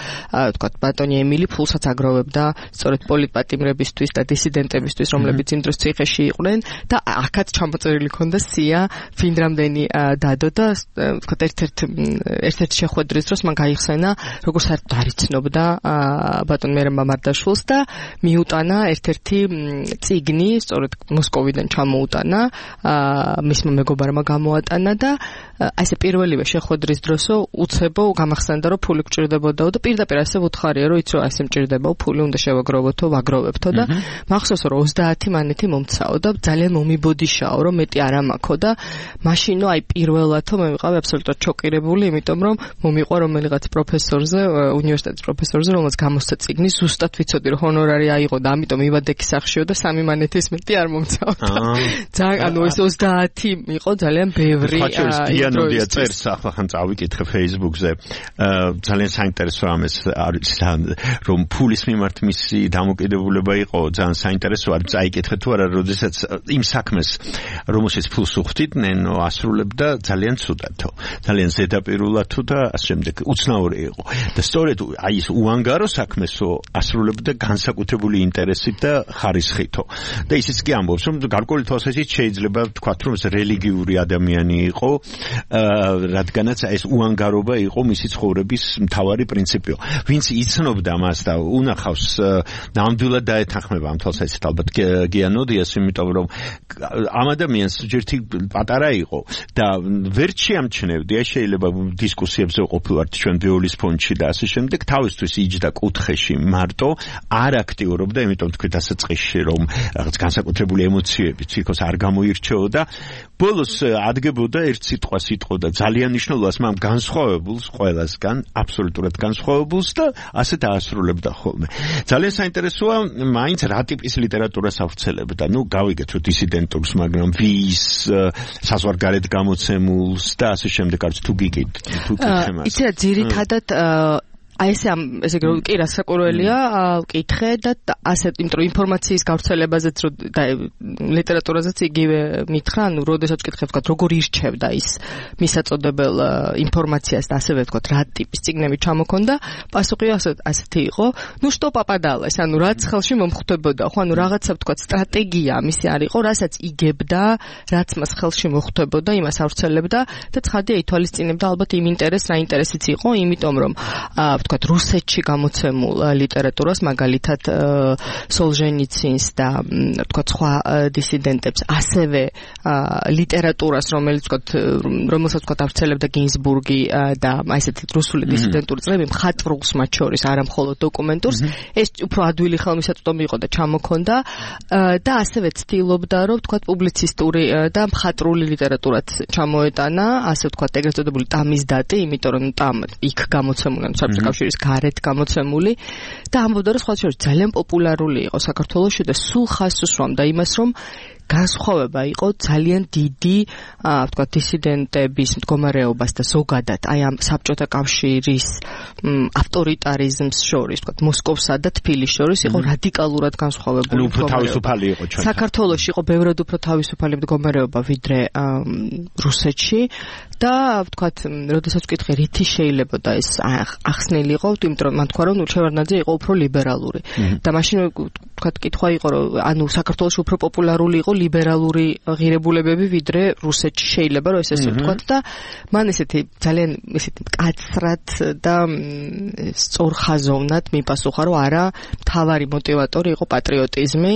თქვა ბატონი ემილი ფულსაც აგროვებდა სწორედ პოლიტპატიმრებისთვის და დისიდენტებისთვის რომლებიც იმ დროს ციხეში იყვნენ და აქაც ჩამოწერილი ქონდა სია ვინ რამდენი დადო და თქვა ერთ-ერთ შეხვედრის დროს მან გაიხსენა როგორ საერთოდ არ იცნობდა ბატონ მერემ მამარდაშვილს და მიუტანა ერთ-ერთი წიგნი, სწორედ მოსკოვიდან ჩამოუტანა, მისმა მეგობარმა გამოატანა და აი ესე პირველივე შეხვედრის დროსო უცებო გამახსენდა რომ ფული გჭირდებოდაო და პირდაპირ ასე უთხარია რომ იცი რომ ასე მჭირდებაო ფული უნდა შევაგროვოთო, ვაგროვებთო და მახსოვს რომ 30 მანეთი მომცაო და ძალიან მომიბოდიშაო რომ მეტი არ ამაქო და მაშინო აი პირველათო მე ვიყავი აბსოლუტურად შოკირებული, იმიტომ რომ მომიყვა რომელიღაც პროფესორზე, უნივერსიტეტის პროფესორზე, რომელსაც გამოსცა წიგნი, ზუსტად ვიცოდი რომ ჰონორარი აიღო და ამიტომ ივადექის სახშიო და 3 მანეთის მეტი არ მომცაო. ძალიან ანუ ეს 30 იყო ძალიან ბევრი დიანოდია წერს ახლა ხან წავიკითხე Facebook-ზე ძალიან საინტერესო ამას არის რომ ფულის მიმართ მისი დამოკიდებულება იყო ძალიან საინტერესო არის წაიკითხე თუ არა როდესაც იმ საქმეს რომელშიც ფულს უხდიდნენ ასრულებდა ძალიან ცუდათო ძალიან ზედაპირულად თუ და ასე შემდეგ უცნაური იყო და სწორედ აი ეს უანგარო საქმესო ასრულებდა განსაკუთრებული ინტერესით და ხარისხითო და ისიც კი ამბობს რომ გარკვეული თვალსაზრისით შეიძლება ვთქვათ რომ ეს რელიგიური ადამიანი იყო რადგანაც ეს უანგარობა იყო მისი ცხოვრების მთავარი პრინციპიო. ვინც იცნობდა მას და უნახავს ნამდვილად დაეთანხმება ამ თვალსაზრისით ალბათ გიანოდიას, იმიტომ რომ ამ ადამიანს ჯერთი პატარა იყო და ვერ შეამჩნევდი, აი შეიძლება დისკუსიებზე ყოფილვართ ჩვენ ბიოლის ფონდში და ასე შემდეგ, თავისთვის იჯდა კუთხეში მარტო, არ აქტიურობდა, იმიტომ თქვით დასაწყისში რომ რაღაც განსაკუთრებული ემოციები თვითონ არ გამოირჩეოდა. ბოლოს ადგებოდა ერთ სიტყვას იტყოდა ძალიან მნიშვნელოვანს მაგრამ განსხვავებულს ყველასგან აბსოლუტურად განსხვავებულს და ასე დაასრულებდა ხოლმე. ძალიან საინტერესოა მაინც რა ტიპის ლიტერატურას ავრცელებდა. ნუ გავიგეთ რომ დისიდენტურს, მაგრამ ვის საზღვარგარეთ გამოცემულს და ასე შემდეგ არც თუ გიგით თუ გითხემას. იცი რა ძირითადად აი ესე კი რასაკვირველია ვკითხე და ასე იმიტომ რომ ინფორმაციის გავრცელებაზეც და ლიტერატურაზეც იგივე მითხრა, ანუ როდესაც ვკითხე ვთქვათ როგორ ირჩევდა ის მისაწოდებელ ინფორმაციას და ასევე ვთქვათ რა ტიპის წიგნები ჩამოქონდა, პასუხი ასეთი იყო, ნუ што პაპადალეს, ანუ რაც ხელში მომხვდებოდა, ხო ანუ რაღაცა ვთქვათ სტრატეგია მისი არ იყო, რასაც იგებდა, რაც მას ხელში მოხვდებოდა, იმას ავრცელებდა და ცხადია ითვალისწინებდა ალბათ იმ ინტერესს, რა ინტერესიც იყო, იმიტომ რომ ვთქვათ რუსეთში გამოცემულ ლიტერატურას, მაგალითად სოლჟენიცინს და ვთქვათ სხვა დისიდენტებს, ასევე ლიტერატურას, რომელსაც ვთქვათ ავრცელებდა გინზბურგი და აი ესეთი რუსული დისიდენტური წრეები, მხატვრულს მათ შორის, არა მხოლოდ დოკუმენტურს, ეს უფრო ადვილი ხელმისაწვდომი იყო და ჩამოქონდა და ასევე ცდილობდა, რომ ვთქვათ პუბლიცისტური და მხატვრული ლიტერატურაც ჩამოეტანა, ასე ვთქვათ ეგრეთ წოდებული ტამის დატი, იმიტომ რომ ტამ იქ გამოცემული, საბჭოთა კავშირის გარეთ გამოცემული და ამბობდა რომ სხვა შორის ძალიან პოპულარული იყო საქართველოში და სულ ხაზს უსვამდა იმას რომ განსხვავება იყო ძალიან დიდი, ვთქვათ, დისიდენტების მდგომარეობას და ზოგადად აი ამ საბჭოთა კავშირის ავტორიტარიზმს შორის, ვთქვათ, მოსკოვსა და თბილისს შორის იყო რადიკალურად განსხვავებული. უფრო თავისუფალი იყო ჩვენ. საქართველოში იყო ბევრად უფრო თავისუფალი მდგომარეობა ვიდრე რუსეთში და ვთქვათ, როდესაც ვკითხე რითი შეიძლებოდა ეს ახსნილიყო, იმიტომ რომ მან თქვა რომ შევარდნაძე იყო უფრო ლიბერალური და მაშინ ვთქვათ, კითხვა იყო რომ ანუ საქართველოში უფრო პოპულარული იყო ლიბერალური ღირებულებები ვიდრე რუსეთში შეიძლება რომ ესე ვთქვათ და მან ესეთი ძალიან ესეთი მკაცრად და სწორხაზოვნად მიპასუხა რომ არა, მთავარი მოტივატორი იყო პატრიოტიზმი,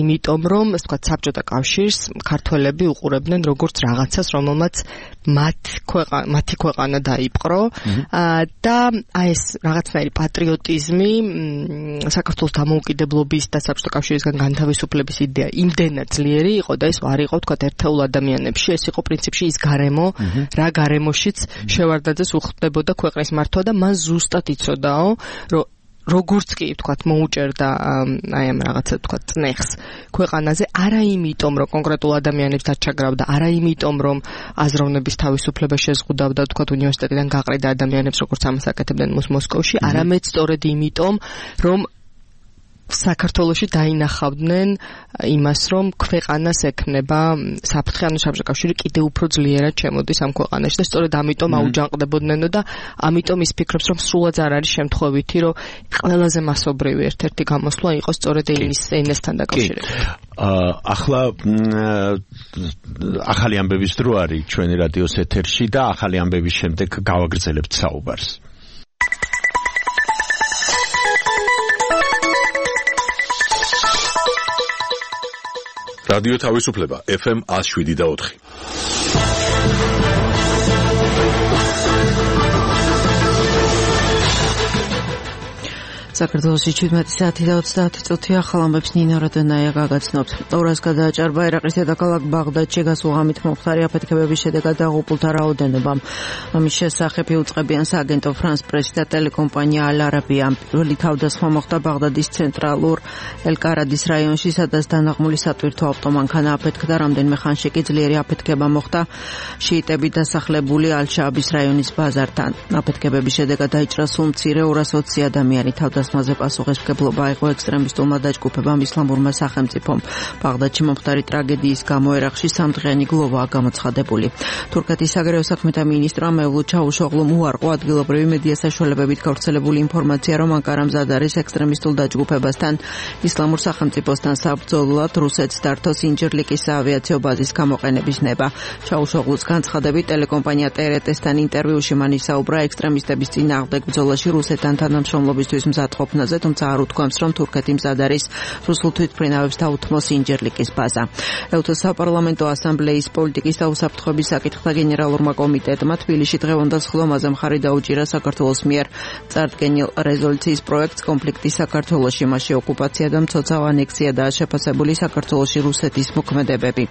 იმიტომ რომ ასე ვთქვათ საბჭოთა კავშირს ქართველები უყურებდნენ როგორც რაღაცას, რომელმაც მათი ქვეყანა დაიპყრო და აი ეს რაღაცნაირი პატრიოტიზმი საქართველოს დამოუკიდებლობის და საბჭოთა კავშირისგან განთავისუფლების იდეა იმდენად ძლიერი იყო და ეს არ იყო თქვათ ერთეულ ადამიანებში, ეს იყო პრინციპში ის გარემო, რა გარემოშიც შევარდნაძეს უხდებოდა ქვეყნის მართვა და მან ზუსტად იცოდაო, რომ როგორც კი ვთქვათ მოუჭერდა აი ამ რაღაცა ვთქვათ წნეხს ქვეყანაზე არა იმიტომ რომ კონკრეტულ ადამიანებს დაჩაგრავდა არა იმიტომ რომ აზროვნების თავისუფლება შეზღუდავდა ვთქვათ უნივერსიტეტიდან გაყრიდა ადამიანებს როგორც ამას აკეთებდნენ მოსკოვში არამედ სწორედ იმიტომ რომ საქართველოში დაინახავდნენ იმას, რომ ქვეყანას ექნება საფრთხე, ანუ საბჭოთა კიდევ უფრო ძლიერად შემოდის ამ ქვეყანაში და სწორედ ამიტომ აუჯანყდებოდნენო და ამიტომ ის ფიქრობს, რომ სრულად არ არის შემთხვევითი, რომ ყველაზე მასობრივი ერთ-ერთი გამოსვლა იყო სწორედ ენასთან დაკავშირებით. ახლა ახალი ამბების დრო არის ჩვენი რადიოს ეთერში და ახალი ამბების შემდეგ გავაგრძელებთ საუბარს. რადიო თავისუფლება FM 107.4. საქართველოში 17 საათი და 30 წუთია ხალამებს ნინო რადონაია გაგაცნობთ. ორას გადააჭარბა ერაყის დედაქალაქ ბაღდადში გასულ ღამით მომხდარი აფეთქებების შედეგად დაღუპულთა რაოდენობამ. ამის შესახებ უწყებიან სააგენტო France Press და ტელეკომპანია Al Arabiya. პირველი თავდასხმა მოხდა ბაღდადის ცენტრალურ ელ-კარადის რაიონში, სადაც დანაღმული სატვირთო ავტომანქანა აფეთქდა. რამდენიმე ხანში კი ძლიერი აფეთქება მოხდა შიიტები დასახლებული ალ-შააბის რაიონის ბაზართან. აფეთქებების შედეგად დაიჭრა სულ მცირე 220 ადამიანი. თავდასხმაზე პასუხისმგებლობა აიღო ექსტრემისტულმა დაჯგუფებამ ისლამურმა სახელმწიფომ. ბაღდადში მომხდარი ტრაგედიის გამო ერაყში სამდღიანი გლოვაა გამოცხადებული. თურქეთის საგარეო საქმეთა მინისტრმა მევლუდ ჩავუშოღლუმ უარყო ადგილობრივი მედია საშუალებებით გავრცელებული ინფორმაცია, რომ ანკარა მზად არის ექსტრემისტულ დაჯგუფებასთან ისლამურ სახელმწიფოსთან საბრძოლოდ რუსეთს დართოს ინჯერლიკის საავიაციო ბაზის გამოყენების ნება. ჩავუშოღლუს განცხადებით ტელეკომპანია TRT-სთან ინტერვიუში მან ისაუბრა ექსტრემისტების წინააღმდეგ ბრძოლაში რუსეთთან თანამშრომლობისთვის მზად ყოფნაზე, თუმცა არ უთქვამს, რომ თურქეთი მზად არის რუსულ თვითმფრინავებს დაუთმოს ინჯერლიკის ბაზა. ეუთოს საპარლამენტო ასამბლეის პოლიტიკის და უსაფრთხოების საკითხთა გენერალურმა კომიტეტმა თბილისში დღევანდელ ხლომაზე მხარი დაუჭირა საქართველოს მიერ წარდგენილ რეზოლუციის პროექტს კონფლიქტის საქართველოში, მასში ოკუპაცია და მცოცავ ანექსიადაა შეფასებული საქართველოში რუსეთის მოქმედებები.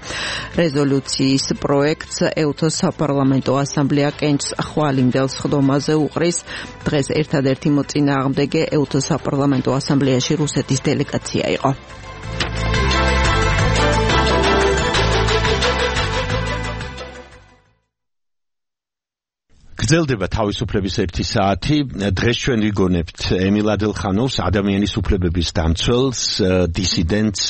რეზოლუციის პროექტს ეუთოს საპარლამენტო ასამბლეა კენჭს ხვალინდელ ხდომაზე უყრის. დღეს ერთადერთი მოწინააღმდეგე ეუთოს საპარლამენტო ასამბლეაში რუსეთის დელეგაცია იყო. გრძელდება თავისუფლების 1 საათი. დღეს ჩვენ ვიგონებთ ემილ ადელხანოვს, ადამიანის უფლებების დამცველს, დისიდენტს,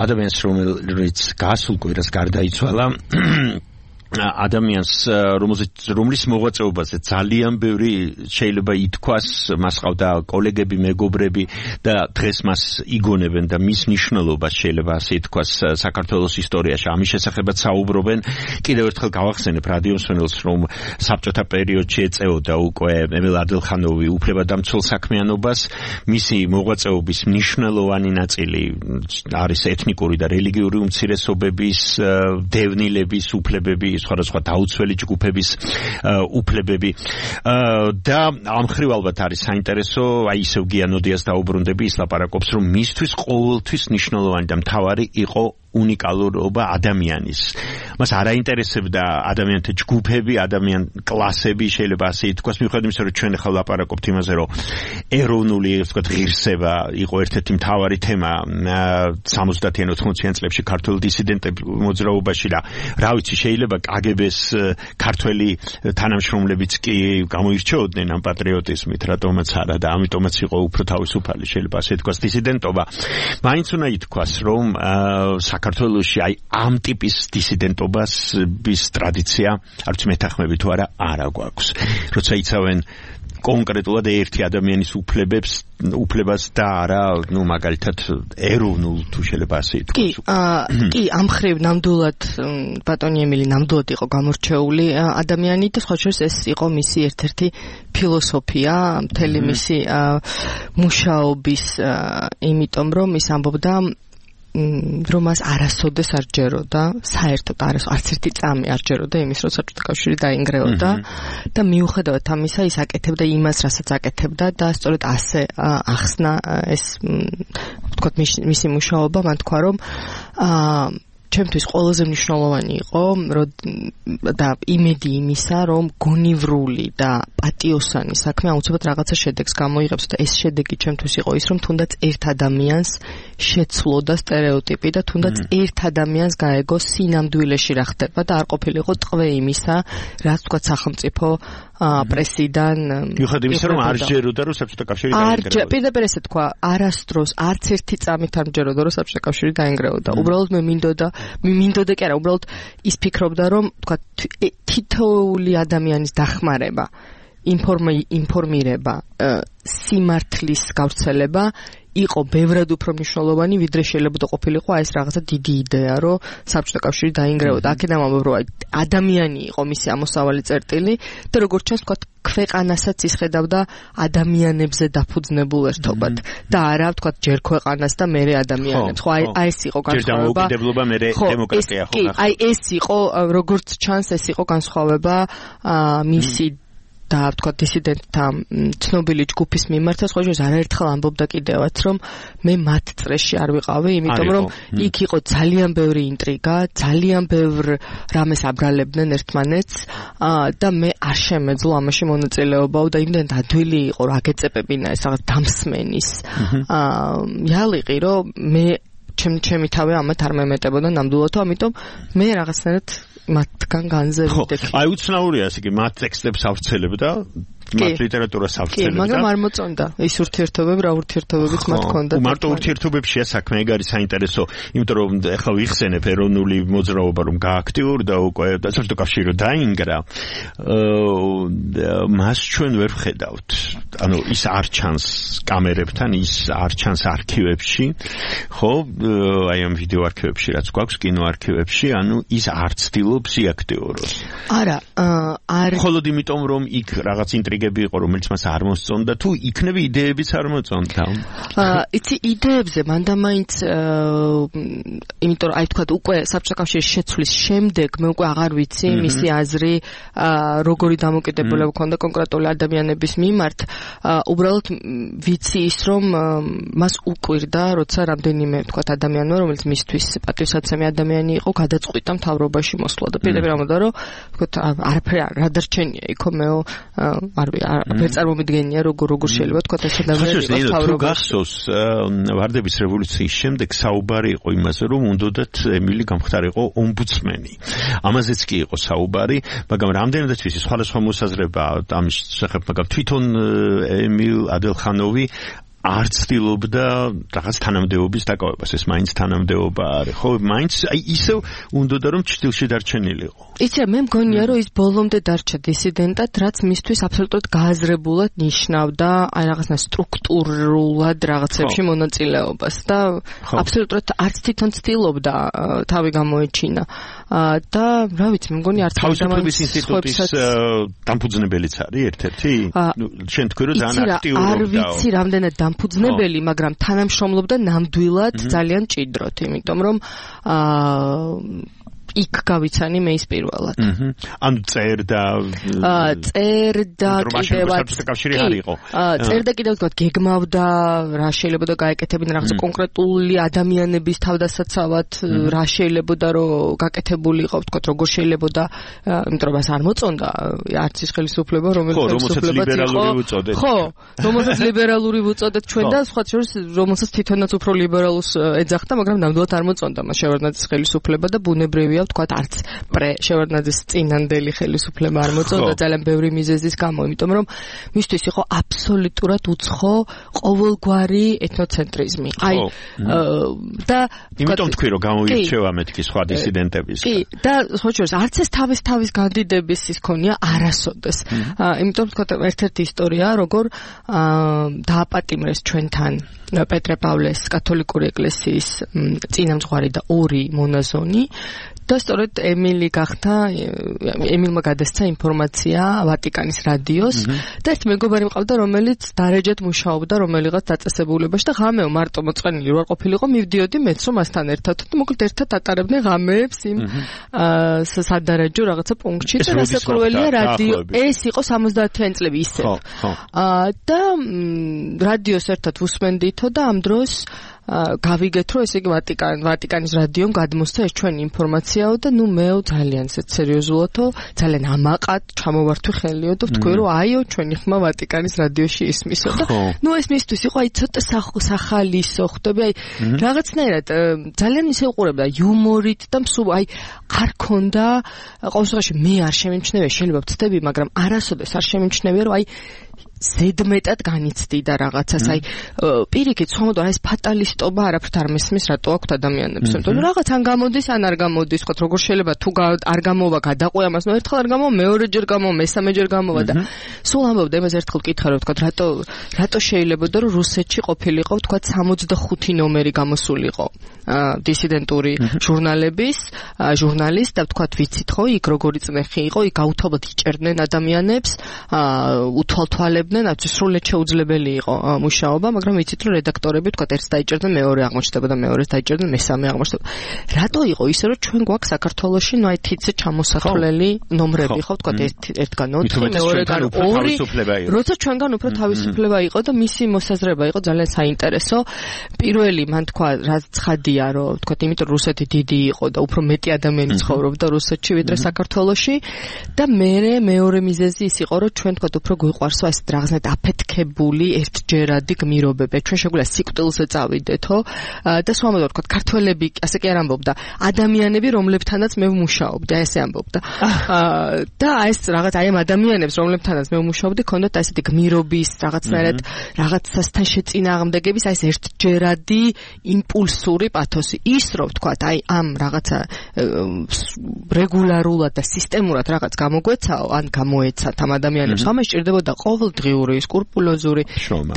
ადამიანს, რომელიც გასულ კვირას გარდაიცვალა. ადამიანს, რომლის მოღვაწეობაზე ძალიან ბევრი შეიძლება ითქვას, მას ყავდა კოლეგები, მეგობრები და დღეს მას იგონებენ და მის მნიშვნელობას შეიძლება ასე ითქვას საქართველოს ისტორიაში. ამის შესახებაც საუბრობენ. კიდევ ერთხელ გავახსენებ რადიო მსმენელს, რომ საბჭოთა პერიოდში ეწეოდა უკვე ემილ ადელხანოვი უფლებადამცველ საქმიანობას. მისი მოღვაწეობის მნიშვნელოვანი ნაწილი არის ეთნიკური და რელიგიური უმცირესობების, დევნილების უფლებები, სხვადასხვა დაუცველი ჯგუფების უფლებები და ამ ხრივ ალბათ არის საინტერესო, აი ისევ გიანოდიას დაუბრუნდები, ის ლაპარაკობს, რომ მისთვის ყოველთვის მნიშვნელოვანი და მთავარი იყო უნიკალურობა ადამიანის. მას არ აინტერესებდა ადამიანთა ჯგუფები, ადამიან კლასები, შეიძლება ასე ითქვას, მიუხედავად იმისა, რომ ჩვენ ახლა ლაპარაკობთ იმაზე, რომ ეროვნული, ვთქვათ, ღირსება იყო ერთ-ერთი მთავარი თემა 70-იან 80-იან წლებში ქართულ დისიდენტების მოძრაობაში და რა ვიცი, შეიძლება კგბ-ს ქართველი თანამშრომლებიც კი გამოირჩეოდნენ ამ პატრიოტიზმით, რატომაც არა და ამიტომაც იყო უფრო თავისუფალი, შეიძლება ასე ითქვას, დისიდენტობა. მაინც უნდა ითქვას, რომ საქართველოში აი ამ ტიპის დისიდენტობის ტრადიცია, არც მეთანხმები თუ არა, არა გვაქვს. როცა იცავენ კონკრეტულად ერთი ადამიანის უფლებას და არა, მაგალითად ეროვნულ თუ შეიძლება ასე ითქვას. კი, ამ ხრივ ნამდვილად ბატონი ემილი ნამდვილად იყო გამორჩეული ადამიანი და სხვა შორის ეს იყო მისი ერთ-ერთი ფილოსოფია, მთელი მისი მუშაობის, იმიტომ რომ ის ამბობდა რომ მას არასოდეს არ ჯეროდა, საერთოდ არც ერთი წამი არ ჯეროდა იმის, რომ საბჭოთა კავშირი დაინგრეოდა და მიუხედავად ამისა ის აკეთებდა იმას, რასაც აკეთებდა და სწორედ ასე ახსნა ეს, ვთქვათ, მისი მუშაობა, მან თქვა, რომ ჩემთვის ყველაზე მნიშვნელოვანი იყო და იმედი იმისა, რომ გონივრული და პატიოსანი საქმე აუცილებლად რაღაცა შედეგს გამოიღებს და ეს შედეგი ჩემთვის იყო ის, რომ თუნდაც ერთ ადამიანს შეცვლოდა სტერეოტიპი და თუნდაც ერთ ადამიანს გაეგო სინამდვილეში რა ხდება და არ ყოფილიყო ტყვე იმისა, რაც თქვა სახელმწიფო პრესიდან მიუხედავად იმისა, რომ არ ჯეროდა რომ საბჭოთა კავშირი დაინგრეოდა. პირდაპირ ესე თქვა, არასდროს არც ერთი წამით არ მჯეროდა რომ საბჭოთა კავშირი დაინგრეოდა. უბრალოდ მე მინდოდა კი არა, უბრალოდ ის ფიქრობდა, რომ თქვა თითოეული ადამიანის დახმარება, ინფორმირება, სიმართლის გავრცელება იყო ბევრად უფრო მნიშვნელოვანი, ვიდრე შეიძლება ყოფილიყო ეს რაღაცა დიდი იდეა, რომ საბჭოთა კავშირი დაინგრეოდა. აქედან ამბობ, რომ ადამიანი იყო მისი ამოსავალი წერტილი და როგორც ჩანს, თქვა ქვეყანასაც ისხედავდა ადამიანებზე დაფუძნებულ ერთობად და არა, თქვა ჯერ ქვეყანას და მერე ადამიანებს. ხო, აი ეს იყო განსხვავება. ჯერ დამოუკიდებლობა, მერე დემოკრატია, ხო. აი ეს იყო, როგორც ჩანს, ეს იყო განსხვავება მისი და თქვა დისიდენტთა ცნობილი ჯგუფის მიმართ, სხვა შორის არაერთხელ ამბობდა კიდევაც, რომ მე მათ წრეში არ ვიყავი, იმიტომ რომ იქ იყო ძალიან ბევრი ინტრიგა, ძალიან ბევრ რამეს აბრალებდნენ ერთმანეთს და მე არ შემეძლო ამაში მონაწილეობაო და იმდენ ადვილი იყო რა გეწეპებინა ეს რაღაც დამსმენის იალიყი, რომ მე ჩემი თავი ამათ არ მემეტებოდა ნამდვილად, ამიტომ მე რაღაცნაირად მათგან განზევიდები. აი უცნაურია ესე იგი მათ ტექსტებს ავრცელებდა, მათ ლიტერატურას ავრცელებდა. კი, მაგრამ არ მოწონდა ის ურთიერთობები, რა ურთიერთობებიც მათ ჰქონდა. მარტო ურთიერთობებშია საქმე, ეგ არის საინტერესო, იმიტომ რომ ახლა ვიხსენებ ეროვნული მოძრაობა რომ გააქტიურდა უკვე და საბჭოთა კავშირი რომ დაინგრა, მას ჩვენ ვერ ვხედავთ. ანუ ის არ ჩანს კამერებთან, ის არ ჩანს არქივებში, ხო? აი ამ ვიდეო არქივებში რაც გვაქვს, კინო არქივებში, ანუ ის არ ცდილობს იაქტიუროს. არა, არ მხოლოდ იმიტომ რომ იქ რაღაც ინტრიგები იყო, რომელიც მას არ მოსწონდა, თუ იქნები იდეებიც არ მოწონდა. იცი იდეებზე მანდამაინც იმიტომ რომ აი თქვა უკვე საბჭოთა კავშირის შეცვლის შემდეგ მე უკვე აღარ ვიცი მისი აზრი როგორი დამოკიდებულება ჰქონდა კონკრეტული ადამიანების მიმართ. უბრალოდ ვიცი ის რომ მას უყვირდა, როცა რამდენიმე თქვა ადამიანმა, რომელიც მისთვის პატივსაცემი ადამიანი იყო, გადაწყვიტა მთავრობაში მოსვლა და პირდაპირ ამბობდა, რომ თქვა არაფერი რა დარჩენია იქო მეო ვერ წარმომიდგენია როგორ შეიძლება თქვა ეს ადამიანი იყოს მთავრობაში. გახსოვს ვარდების რევოლუციის შემდეგ საუბარი იყო იმაზე, რომ უნდათ ემილი გამხდარიყო ომბუდსმენი. ამაზეც კი იყო საუბარი, მაგრამ რამდენადაც ვიცი სხვადასხვა მოსაზრება ამის შესახებ, მაგრამ თვითონ ემილ ადელხანოვი არ ცდილობდა რაღაც თანამდებობის დაკავებას, ეს მაინც თანამდებობა არის, ხო? მაინც აი ისევ უნდოდა რომ ჭრილში დარჩენილიყო. იცი, მე მგონია რომ ის ბოლომდე დარჩა დისიდენტად, რაც მისთვის აბსოლუტურად გააზრებულად ნიშნავდა აი რაღაცა სტრუქტურულად რაღაცებში მონაწილეობას და აბსოლუტურად არც თვითონ ცდილობდა თავი გამოეჩინა. და რა ვიცი, მე მგონია არც თავისუფლების ინსტიტუტის დამფუძნებელიც არის ერთ-ერთი. შენ თქვი რომ ძალიან აქტიურობდა. არ ვიცი რამდენად დამფუძნებელი, მაგრამ თანამშრომლობდა ნამდვილად ძალიან ჭიდროთ, იმიტომ რომ იქ გავიცანი მე ის პირველად. ანუ წერდა კიდევაც კავშირი არ იყო. წერდა კიდევ თქვა გეგმავდა რა შეიძლება და გაეკეთებინა რაღაცა კონკრეტული ადამიანების თავდასაცავად რა შეიძლება რომ გაკეთებულიყო, თქვა როგორ შეიძლება და იმიტომ რომ არ მოწონდა არც ის ხელისუფლება, რომელსაც ლიბერალური უწოდეთ. ხო, რომელსაც ლიბერალური უწოდეთ ჩვენ და სხვა შორის რომელსაც თვითონაც უფრო ლიბერალს ეძახდა, მაგრამ ნამდვილად არ მოწონდა მას შევარდნაძის ხელისუფლება და ბუნებრივია თქვა არც შევარდნაძის წინანდელი ხელისუფლება არ მოწონდა ძალიან ბევრი მიზეზის გამო, იმიტომ რომ მისთვის იყო აბსოლუტურად უცხო ყოველგვარი ეთნოცენტრიზმი. აი და იმიტომ თქვი რომ გამოირჩევა მეთქი სხვა დისიდენტებისგან. კი, და სხვა შორის არც ეს თავის განდიდების ის ქონია არასოდეს. იმიტომ თქვა ერთ-ერთი ისტორია, როგორ დააპატიმრეს ჩვენთან პეტრე-პავლეს კათოლიკური ეკლესიის წინამძღვარი და ორი მონაზონი და სწორედ ემილმა გადასცა ინფორმაცია ვატიკანის რადიოს და ერთ მეგობარი მყავდა, რომელიც დარეჯად მუშაობდა რომელიღაც დაწესებულებაში და ღამეო მარტო მოწყენილი რო არ ყოფილიყო, მივდიოდი მეც რომ მასთან ერთად და მოკლედ ერთად ატარებდნენ ღამეებს იმ სადარეჯო რაღაცა პუნქტში და რასაკვირველია რადიო ეს იყო 70-იან წლები ისევ. და რადიოს ერთად უსმენდითო და ამ დროს გავიგეთ რომ ესე იგი ვატიკანის რადიომ გადმოსცა ეს ჩვენი ინფორმაციაო და ნუ მეო ძალიან სერიოზულადო ძალიან ამაყად ჩამოვართვი ხელიო და ვთქვი რომ აიო ჩვენი ხმა ვატიკანის რადიოში ისმისო და ნუ ეს მისთვის იყო აი ცოტა სახალისო ხდები აი რაღაცნაირად ძალიან ისე უყურებდა იუმორით და მსუბ აი არ ქონდა ყოველ შემთხვევაში მე არ შემიმჩნევია შეიძლება ვწდები მაგრამ არასოდეს არ შემიმჩნევია რომ აი ზედმეტად განიცდიდა რაღაცას აი პირიქით ხომოდ ეს ფატალისტობა არაფრთ არ მესმის რატო აქვთ ადამიანებს იმიტომ რომ რაღაც ან გამოდის ან არ გამოდის ხო როგორ შეიძლება თუ არ გამოვა გადაყვე ამას ნუ ერთხელ არ გამოვა მეორეჯერ გამოვა მესამეჯერ გამოვა და სულ ამბობდა იმას ერთხელ ვკითხა რომ თქვა რატო შეიძლებოდა რომ რუსეთში ყოფილიყო თქვა 65 ნომერი გამოსულიყო დისიდენტური ჟურნალის და თქვა ვიცით ხო იქ როგორი წნეხი იყო იქ გაუთავად იჭერდნენ ადამიანებს უთვალთვალებდნენ სრულად შეუძლებელი იყო მუშაობა მაგრამ ვიცით რომ რედაქტორები თქვა ერთს დაიჭერდნენ მეორე აღმოჩნდება და მეორეს დაიჭერდნენ მესამე აღმოჩნდება რატო იყო ისე რომ ჩვენ გვაქვს საქართველოში ნუ აი თითზე ჩამოსახლელი ნომრები ხო თქვა ერთგან 4 მეორეგან 2 როცა ჩვენგან უფრო თავისუფლება იყო და მისი მოსაზრება იყო ძალიან საინტერესო პირველი მან თქვა რაც ცხადია რომ თქვა იმიტომ რუსეთი დიდი იყო და უფრო მეტი ადამიანი ცხოვრობდა რუსეთში ვიდრე საქართველოში და მეორე მიზეზი ის იყო რომ ჩვენ თქვა უფრო გვიყვარსო ეს რაღაცნაირად აფეთქებული ერთჯერადი გმირობები ჩვენ შეგვიძლია სიკვდილზე წავიდეთო და სვამოდო თქვა ქართველები ასე კი არ ამბობდა ადამიანები რომლებთანაც მე ვმუშაობდი აი ესე ამბობდა და ეს რაღაც აი ამ ადამიანებს რომლებთანაც მე ვმუშაობდი ქონდათ ესეთი გმირობის რაღაცნაირად რაღაცასთან შეწინააღმდეგების აი ეს ერთჯერადი იმპულსური პათოსი ის რომ თქვა აი ამ რაღაცა რეგულარულად და სისტემურად რაღაც გამოგვეცაო ან გამოეცათ ამ ადამიანებს ამას ჭირდებოდა ყოველდღიური სკრუპულოზური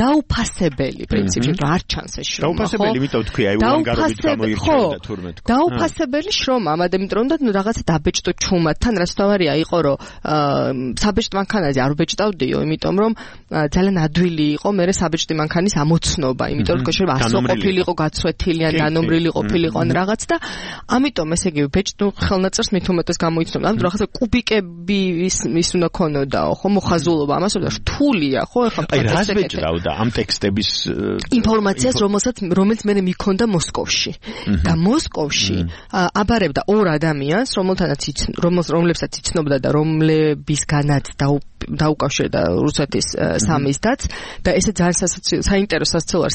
დაუფასებელი პრინციპი რომ არ ჩანს ეს შრომა დაუფასებელი იმიტომ თქვი აი უანგარობით გამოირჩეოდა თურმე თქვა დაუფასებელი შრომა ამადამ იმიტომ რომ რაღაცა დაბეჭდო ჩუმათთან რაც თავარია იყო რომ საბეჭდ მანქანაზე არ ვბეჭდავდიო იმიტომ რომ ძალიან ადვილი იყო მე საბეჭდი მანქანის ამოცნობა იმიტომ რომ შეიძლება ასო ყოფილიყო გაცვეთილი ან დანომრილი ყოფილიყო ან რაღაც და ამიტომ ესე იგი ბეჭდ ხელნაწერს მით უმეტეს გამოიცნობდა ამიტომ რაღაცა კუბიკები ის უნდა ქონოდაო ხო მოხაზულობა ამას და რთულია ხო ეხლა აი რას ბეჭდავდა ამ ტექსტების ინფორმაციას რომელიც მე მიქონდა მოსკოვში და მოსკოვში აბარებდა ორ ადამიანს რომლებსაც იცნობდა და რომლებისგანაც დაუკავშირდა რუსეთის სამიზდაც და ესე ძალიან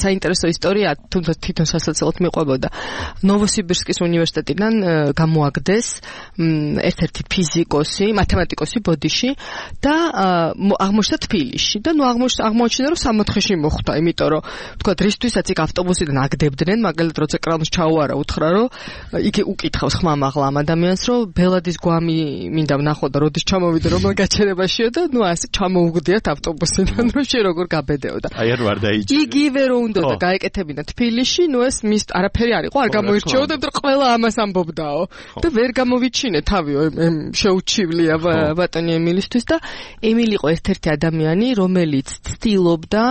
საინტერესო ისტორია თუნდაც თვითონ სასაცილოდ მიყვებოდა ნოვოსიბირსკის უნივერსიტეტიდან გამოაგდეს ერთ-ერთი ფიზიკოსი მათემატიკოსი ბოდიში და აღმოჩნდა თბილისში და ნუ აღმოჩნდა რომ სამოთხეში მოხვდა იმიტომ რომ თქვა რისთვისაც იქ ავტობუსიდან აგდებდნენ მაგალითად როცა კრანს ჩაუარა უთხრა რომ იგი უკითხავს ხმამაღლა ამ ადამიანს რომ ბელადის გვამი მინდა ვნახო და როდის ჩამოვიდა რომ გაჩერებაშიო და ნუ ასე ჩამოუგდიათ ავტობუსიდან რომ შე როგორ გაბედეოდა აი არ ვარ დაიჭირე იგივე რომ უნდა და გაეკეთებინა თბილისში ნუ ეს მის არაფერი არ იყო არ გამოირჩეოდა და ყველა ამას ამბობდაო და ვერ გამოვიჩინე თავიო შეუჩივლია ბატონი ემილისთვის და ემილი იყო ერთ-ერთი ადამიანი რომელიც ცდილობდა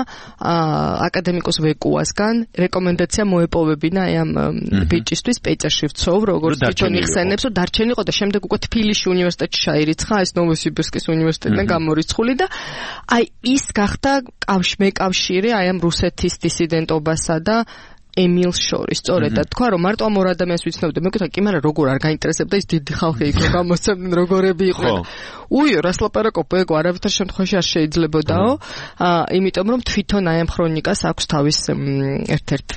აკადემიკოს ვეკუასგან რეკომენდაცია მოეპოვებინა აი ამ ბიჭისთვის პეტერში ვცოვ როგორც თვითონ იხსენებს რომ დარჩენილიყო და შემდეგ უკვე თბილისში უნივერსიტეტში ჩაირიცხა ეს ნოვოსიბირსკის უნივერსიტეტიდან გამორიცხული და აი ის გახდა მეკავშირი აი ამ რუსეთის დისიდენტობასა და ემილს შორის სწორედ და თქვა რომ მარტო ამ ორ ადამიანს ვიცნობდი მე ვკითხა კი მაგრამ როგორ არ გაინტერესებდა ის დიდი ხალხი იქ გამოსცემდნენ როგორები იყვნენ უიო რას ლაპარაკობ ეგ არავითარ შემთხვევაში არ შეიძლებოდაო იმიტომ რომ თვითონ აი ამ ქრონიკას აქვს თავის ერთ-ერთ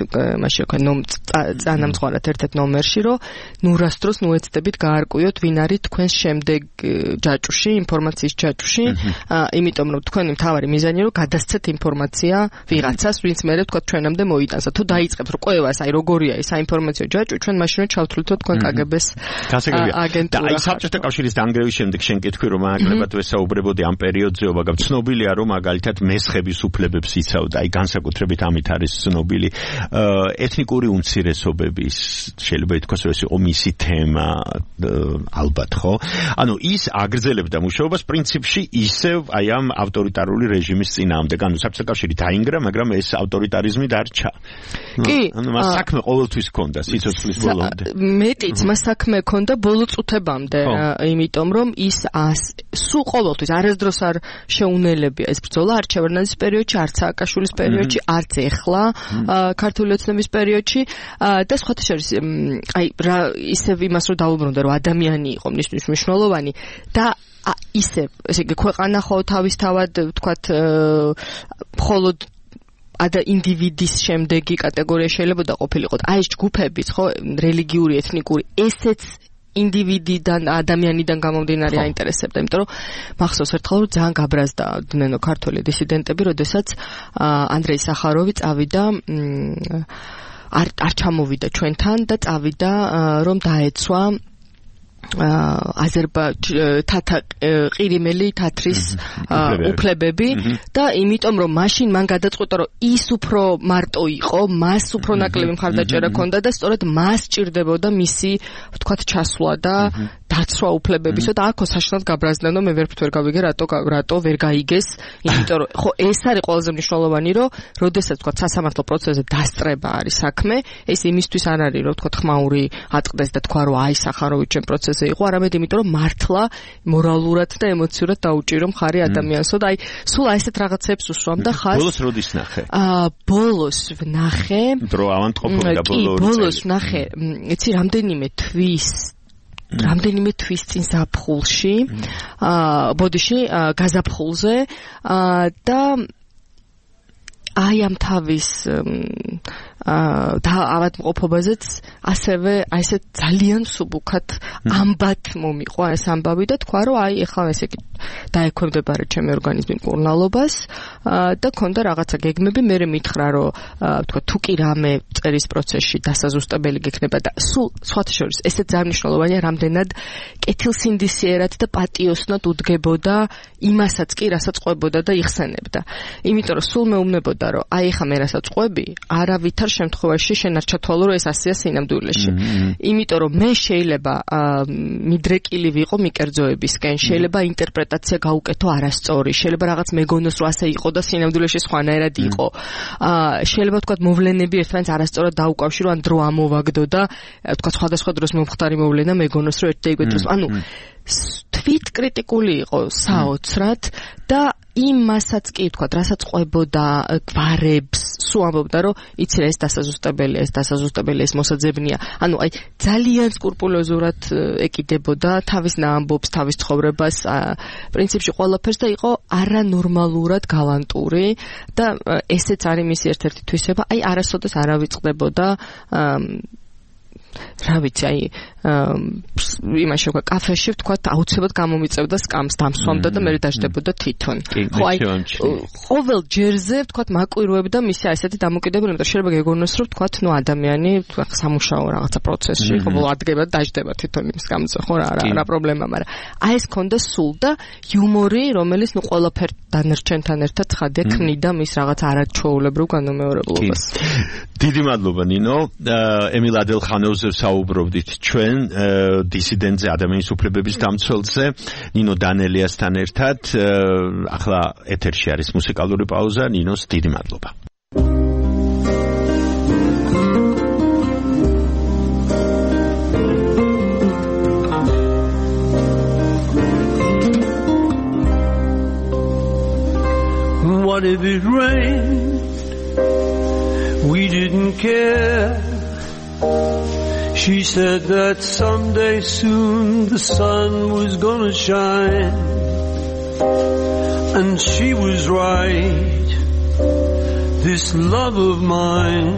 მაშინ თქვა წანამძღვარად ერთ-ერთ ნომერში რომ ნურას დროს ნუეცდებით გაარკვიოთ ვინ არის თქვენს შემდეგ ჯაჭუში ინფორმაციის ჯაჭუში იმიტომ რომ თქვენი მთავარი მიზანი რომ გადასცეთ ინფორმაცია ვიღაცას ვინც მე თქვა ჩვენამდე მოიტანსა თუ დაიწყებთ რომ ყველას აი როგორია ეს საინფორმაციო ჯაჭვი ჩვენ მაშინ ჩავთვლითო თქვენ კგბ-ს აგენტურა აი საბჭოთა კავშირის დანგრევის შემდეგ შენ კითხვი რომ ნაკლებად ვესაუბრებოდი ამ პერიოდზე, მაგრამ ცნობილია რომ მაგალითად მესხების უფლებებს იცავდა, აი განსაკუთრებით ამით არის ცნობილი ეთნიკური უმცირესობების შეიძლება ითქვას რომ ეს იყო მისი თემა ალბათ ხო? ანუ ის აგრძელებდა მუშაობას პრინციპში ისევ აი ამ ავტორიტარული რეჟიმის წინააღმდეგ, ანუ საბჭოთა კავშირი დაინგრა, მაგრამ ეს ავტორიტარიზმი დარჩა. კი, ანუ მას საქმე ყოველთვის ჰქონდა სიცოცხლის ბოლომდე. მეტიც მას საქმე ჰქონდა ბოლო წუთებამდე, იმიტომ რომ ის სულ ყოველთვის არასდროს არ შეუნელებია ეს ბრძოლა არც ჩევერნაძის პერიოდში, არც სააკაშვილის პერიოდში, არც ეხლა ქართული ოცნების პერიოდში და სხვათა შორის აი რა ისევ იმას რომ დაუბრუნდა რომ ადამიანი იყო მნიშვნელოვანი და ისევ ესე იგი ქვეყანა ხო თავისთავად ვთქვათ მხოლოდ ინდივიდის შემდეგი კატეგორია შეიძლება და ყოფილიყო. აი ეს ჯგუფებიც ხო რელიგიური, ეთნიკური ესეც ინდივიდიდან, ადამიანიდან გამომდინარე აინტერესებდა, იმიტომ რომ მახსოვს ერთხელ რომ ძალიან გაბრაზდნენ ქართული დისიდენტები, როდესაც ანდრეი სახაროვი წავიდა არ ჩამოვიდა ჩვენთან და წავიდა რომ დაეცვა ყირიმელი თათრის უფლებები და იმიტომ რომ მაშინ მან გადაწყვეტა რომ ის უფრო მარტო იყო, მას უფრო ნაკლები მხარდაჭერა ჰქონდა და სწორედ მას ჭირდებოდა მისი ვთქვათ ჩასვლა და დაცვა უფლებებისო და აქ საშინლად გაბრაზდნენ რომ მე ვერ გავიგე რატო ვერ გაიგეს, იმიტომ რომ ხო ეს არის ყველაზე მნიშვნელოვანი რომ როდესაც ვთქვათ სასამართლო პროცესზე დასწრება არის საქმე, ეს იმისთვის არ არის რომ ვთქვათ ხმაური ატყდეს და თქვა რომ აი სახაროვი ჩემ პროცესზე იყო, არამედ იმიტომ რომ მართლა მორალურად და ემოციურად დაუჭირო მხარი ადამიანსო და აი სულ აი ესეთ რაღაცებს უსვამ და ხას ბოლოს როდის ნახე? ბოლოს ვნახე დრო ავანტყოფობდა ბოლოს ვნახე იცი რამდენიმე თვის წინ ზაფხულში ბოდიში გაზაფხულზე და აი ამ თავის და ავადმყოფობაზეც ასევე აი ესე ძალიან სუბუქად ამბად მომიყვა ეს ამბავი და თქვა რომ აი ეხლა ესე იგი დაექვემდებარა ჩემი ორგანიზმი მკურნალობას და ქონდა რაღაცა გეგმები, მე მითხრა რომ თქვა თუ კი რამე წერის პროცესში დასაზუსტებელი გექნება და სულ სხვათა შორის ესეც ძალიან მნიშვნელოვანია რამდენად კეთილსინდისიერად და პატიოსნად უდგებოდა იმასაც კი რასაც ყვებოდა და იხსენებდა. იმიტომ რომ სულ მეუბნებოდა რომ აი ეხლა მე რასაც ყვები არავითარ შემთხვევაში შენ არ ჩათვალო რომ ეს ასეა სინამდვილეში. იმიტომ რომ მე შეიძლება მიდრეკილი ვიყო მიკერძოებისკენ, შეიძლება ინტერპრეტაცია გაუკეთო არასწორი, შეიძლება რაღაც მეგონოს რომ ასე იყო და სინამდვილეში სხვანაირად იყო. შეიძლება თქვა მოვლენები ერთმანეთს არასწორად დაუკავშირო, ან დრო ამოვაგდო და თქვა სხვადასხვა დროს მომხდარი მოვლენა მეგონოს რომ ერთ და იგივე დროს. ანუ თვით კრიტიკული იყო საოცრად და იმასაც კი თქვა, რასაც ყვებოდა გვარებს, სულ ამბობდა რომ იცი რა ეს დასაზუსტებელია, ეს მოსაძებნია. ანუ აი ძალიან სკრუპულოზურად ეკიდებოდა თავის ნაამბობს, თავის ცხოვრებას, პრინციპში ყველაფერს და იყო არანორმალურად გალანტური და ესეც არის მისი ერთ-ერთი თვისება. აი არასოდეს არ ავიწყდებოდა რა ვიცი, აი იმაში ვქვა კაფეში ვთქვათ აუცილებლად გამომიწევდა სკამს დამსვამდა და მე დაждდებოდა თვითონ. ხო აი ყოველ ჯერზე ვთქვათ მაკვირვებდა მისი ესეთი დამოკიდებულება, შეიძლება გეგონოს რომ ვთქვათ ნუ ადამიანი სამუშაო რაღაცა პროცესში ყოველ ადგება დაждდება თვითონ იმ სკამზე, ხო რა პრობლემა, მაგრამ აი ეს ქონდა სულ და იუმორი, რომელიც ნუ ყველაფერ დანარჩენთან ერთად ცხადია ქმნიდა მის რაღაც არაჩვეულებრივ განმეორებლობას. დიდი მადლობა ნინო. ემილ ადელხანოვზე საუბრობდით ჩვენ დისიდენტზე, ადამიანის უფლებების დამცველზე, ნინო დანელიასთან ერთად. ახლა ეთერში არის მუსიკალური პაუზა. ნინოს დიდი მადლობა. What if it rained? We didn't care. She said that someday soon the sun was gonna shine. And she was right. This love of mine,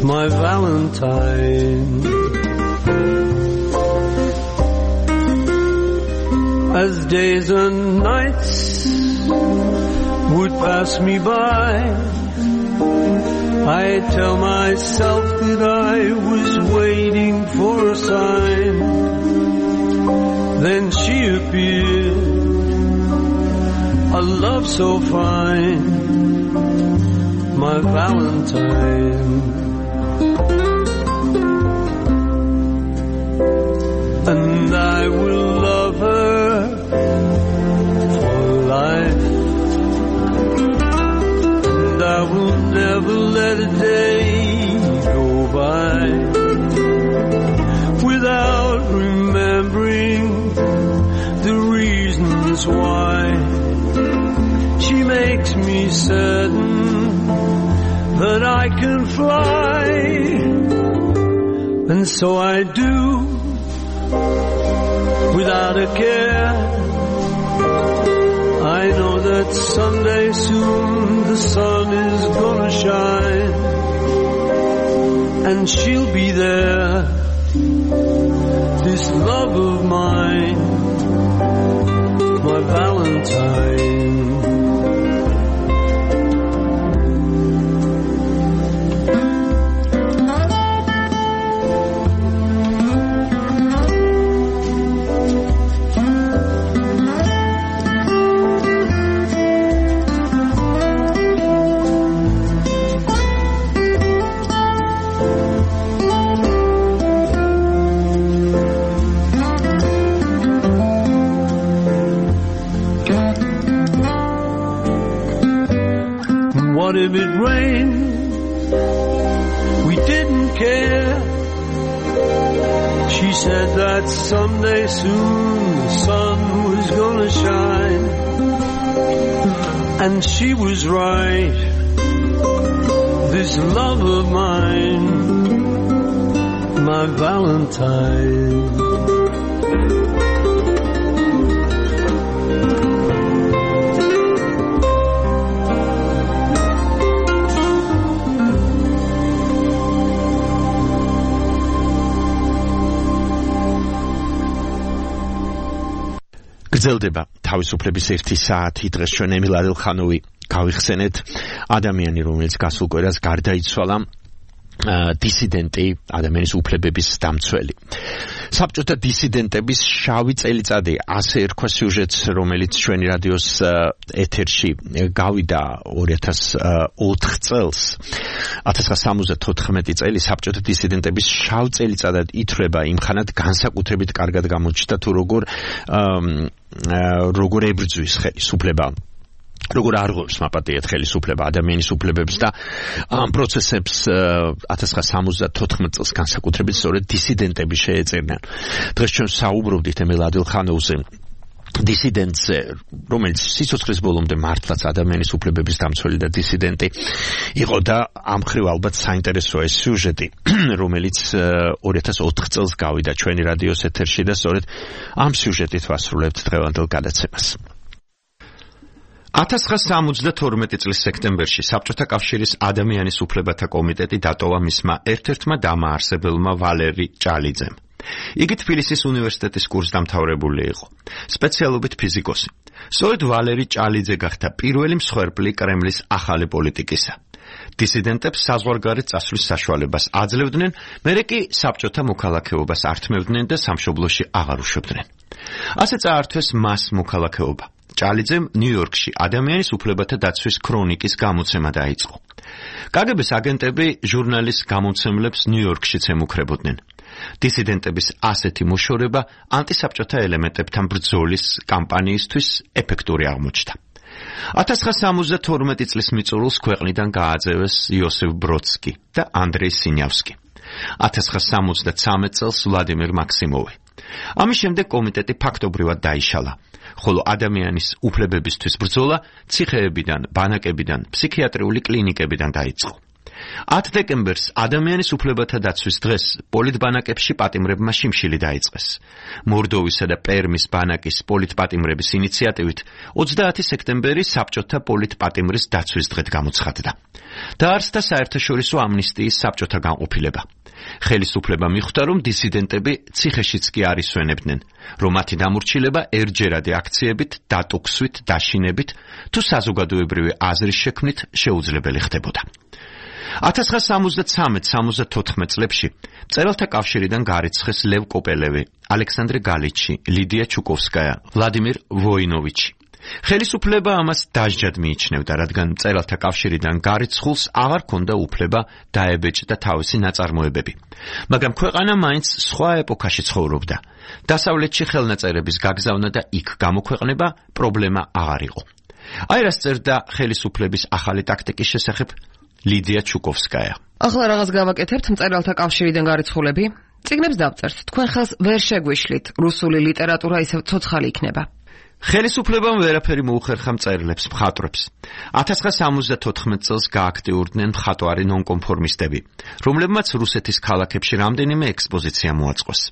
my Valentine. As days and nights would pass me by, I tell myself that I was waiting for a sign. Then she appeared, a love so fine, my Valentine. And I will love her for life, and I will never never let a day go by without remembering the reasons why. She makes me certain that I can fly, and so I do without a care. I know that someday soon the sun is gonna shine, and she'll be there, this love of mine, my Valentine. What if it rained? We didn't care. She said that someday soon the sun was gonna shine, and she was right. This love of mine, my Valentine. გრძელდება თავისუფლების 1 საათი. დღეს ჩვენ ემილ ადელხანოვი გავიხსენეთ, ადამიანი, რომელიც გასულ კვირას გარდაიცვალა, დისიდენტი, ადამიანის უფლებების დამცველი. საბჭოთა დისიდენტების შავი წელიწადი, ასე ერქვა სიუჟეტს, რომელიც ჩვენი რადიოს ეთერში გავიდა 2004 წელს. 1974 წელი საბჭოთა დისიდენტების შავ წელიწადად ითვლება, იმხანად განსაკუთრებით კარგად გამოჩნდა თუ როგორ ებრძვის ხელისუფლება, როგორ არღვევს მაპატიეთ ხელისუფლება ადამიანის უფლებებს და ამ პროცესებს 1974 წელს განსაკუთრებით სწორედ დისიდენტები შეეწირნენ. დღეს ჩვენ საუბრობდით ემილ ადელხანოვზე, დისიდენტზე, რომელიც სიცოცხლის ბოლომდე მართლაც ადამიანის უფლებების დამცველი და დისიდენტი იყო და ამ ხრივ ალბათ საინტერესოა ეს სიუჟეტი, რომელიც 2004 წელს გავიდა ჩვენი რადიოს ეთერში და სწორედ ამ სიუჟეტით ვასრულებთ დღევანდელ გადაცემას. 1972 წლის სექტემბერში საბჭოთა კავშირის ადამიანის უფლებათა კომიტეტი დატოვა მისმა ერთ-ერთმა დამაარსებელმა ვალერი ჭალიძემ. იგი თბილისის უნივერსიტეტის კურსდამთავრებული იყო, სპეციალობით ფიზიკოსი. სწორედ ვალერი ჭალიძე გახდა პირველი მსხვერპლი კრემლის ახალი პოლიტიკისა. დისიდენტებს საზღვარგარეთ წასვლის საშუალებას აძლევდნენ, მერე კი საბჭოთა მოქალაქეობას ართმევდნენ და სამშობლოში აღარ უშვებდნენ. ასე წაართვეს მას მოქალაქეობა. ჭალიძემ ნიუ-იორკში ადამიანის უფლებათა დაცვის ქრონიკის გამოცემა დაიწყო. კგბ-ს აგენტები ჟურნალის გამომცემლებს ნიუ-იორკშიც ემუქრებოდნენ. დისიდენტების ასეთი მოშორება ანტისაბჭოთა ელემენტებთან ბრძოლის კამპანიისთვის ეფექტური აღმოჩნდა. 1972 წლის მიწურულს ქვეყნიდან გააძევეს იოსებ ბროდსკი და ანდრეი სინიავსკი. 1973 წელს ვლადიმერ მაქსიმოვი. ამის შემდეგ კომიტეტი ფაქტობრივად დაიშალა, ხოლო ადამიანის უფლებებისთვის ბრძოლა ციხეებიდან, ბანაკებიდან, ფსიქიატრიული კლინიკებიდან დაიწყო. 10 დეკემბერს ადამიანის უფლებათა დაცვის დღეს პოლიტბანაკებში პატიმრებმა შიმშილი დაიწყეს. მორდოვისა და პერმის ბანაკის პოლიტპატიმრების ინიციატივით 30 სექტემბერი საბჭოთა პოლიტპატიმრის დაცვის დღედ გამოცხადდა. დაარსდა საერთაშორისო ამნისტიის საბჭოთა განყოფილება. ხელისუფლება მიხვდა, რომ დისიდენტები ციხეშიც კი არ ისვენებდნენ, რომ მათი დამორჩილება ერთჯერადი აქციებით, დატოქსვით, დაშინებით თუ საზოგადოებრივი აზრის შექმნით შეუძლებელი ხდებოდა. 1973-74 წლებში მწერალთა კავშირიდან გარიცხეს ლევ კოპელევი, ალექსანდრე გალიჩი, ლიდია ჩუკოვსკაია, ვლადიმირ ვოინოვიჩი. ხელისუფლება ამას დასჯად მიიჩნევდა, რადგან მწერალთა კავშირიდან გარიცხულს აღარ ჰქონდა უფლება დაებეჭდა თავისი ნაწარმოებები. მაგრამ ქვეყანა მაინც სხვა ეპოქაში ცხოვრობდა. დასავლეთში ხელნაწერების გაგზავნა და იქ გამოქვეყნება პრობლემა აღარ იყო. აი რას წერდა ხელისუფლების ახალი ტაქტიკის შესახებ ლიდია ჩუკოვსკაია. ახლა რაღაც გავაკეთებთ მწერალთა კავშირიდან გარიცხულები. წიგნებს დავწერთ. თქვენ ხელს ვერ შეგვიშლით. რუსული ლიტერატურა ისევ ცოცხალი იქნება. ხელისუფლებამ ვერაფერი მოუხერხა მწერლებს, მხატვრებს. 1974 წელს გააქტიურდნენ მხატვარი ნონკონფორმისტები, რომლებმაც რუსეთის ქალაქებში რამდენიმე ექსპოზიცია მოაწყვეს.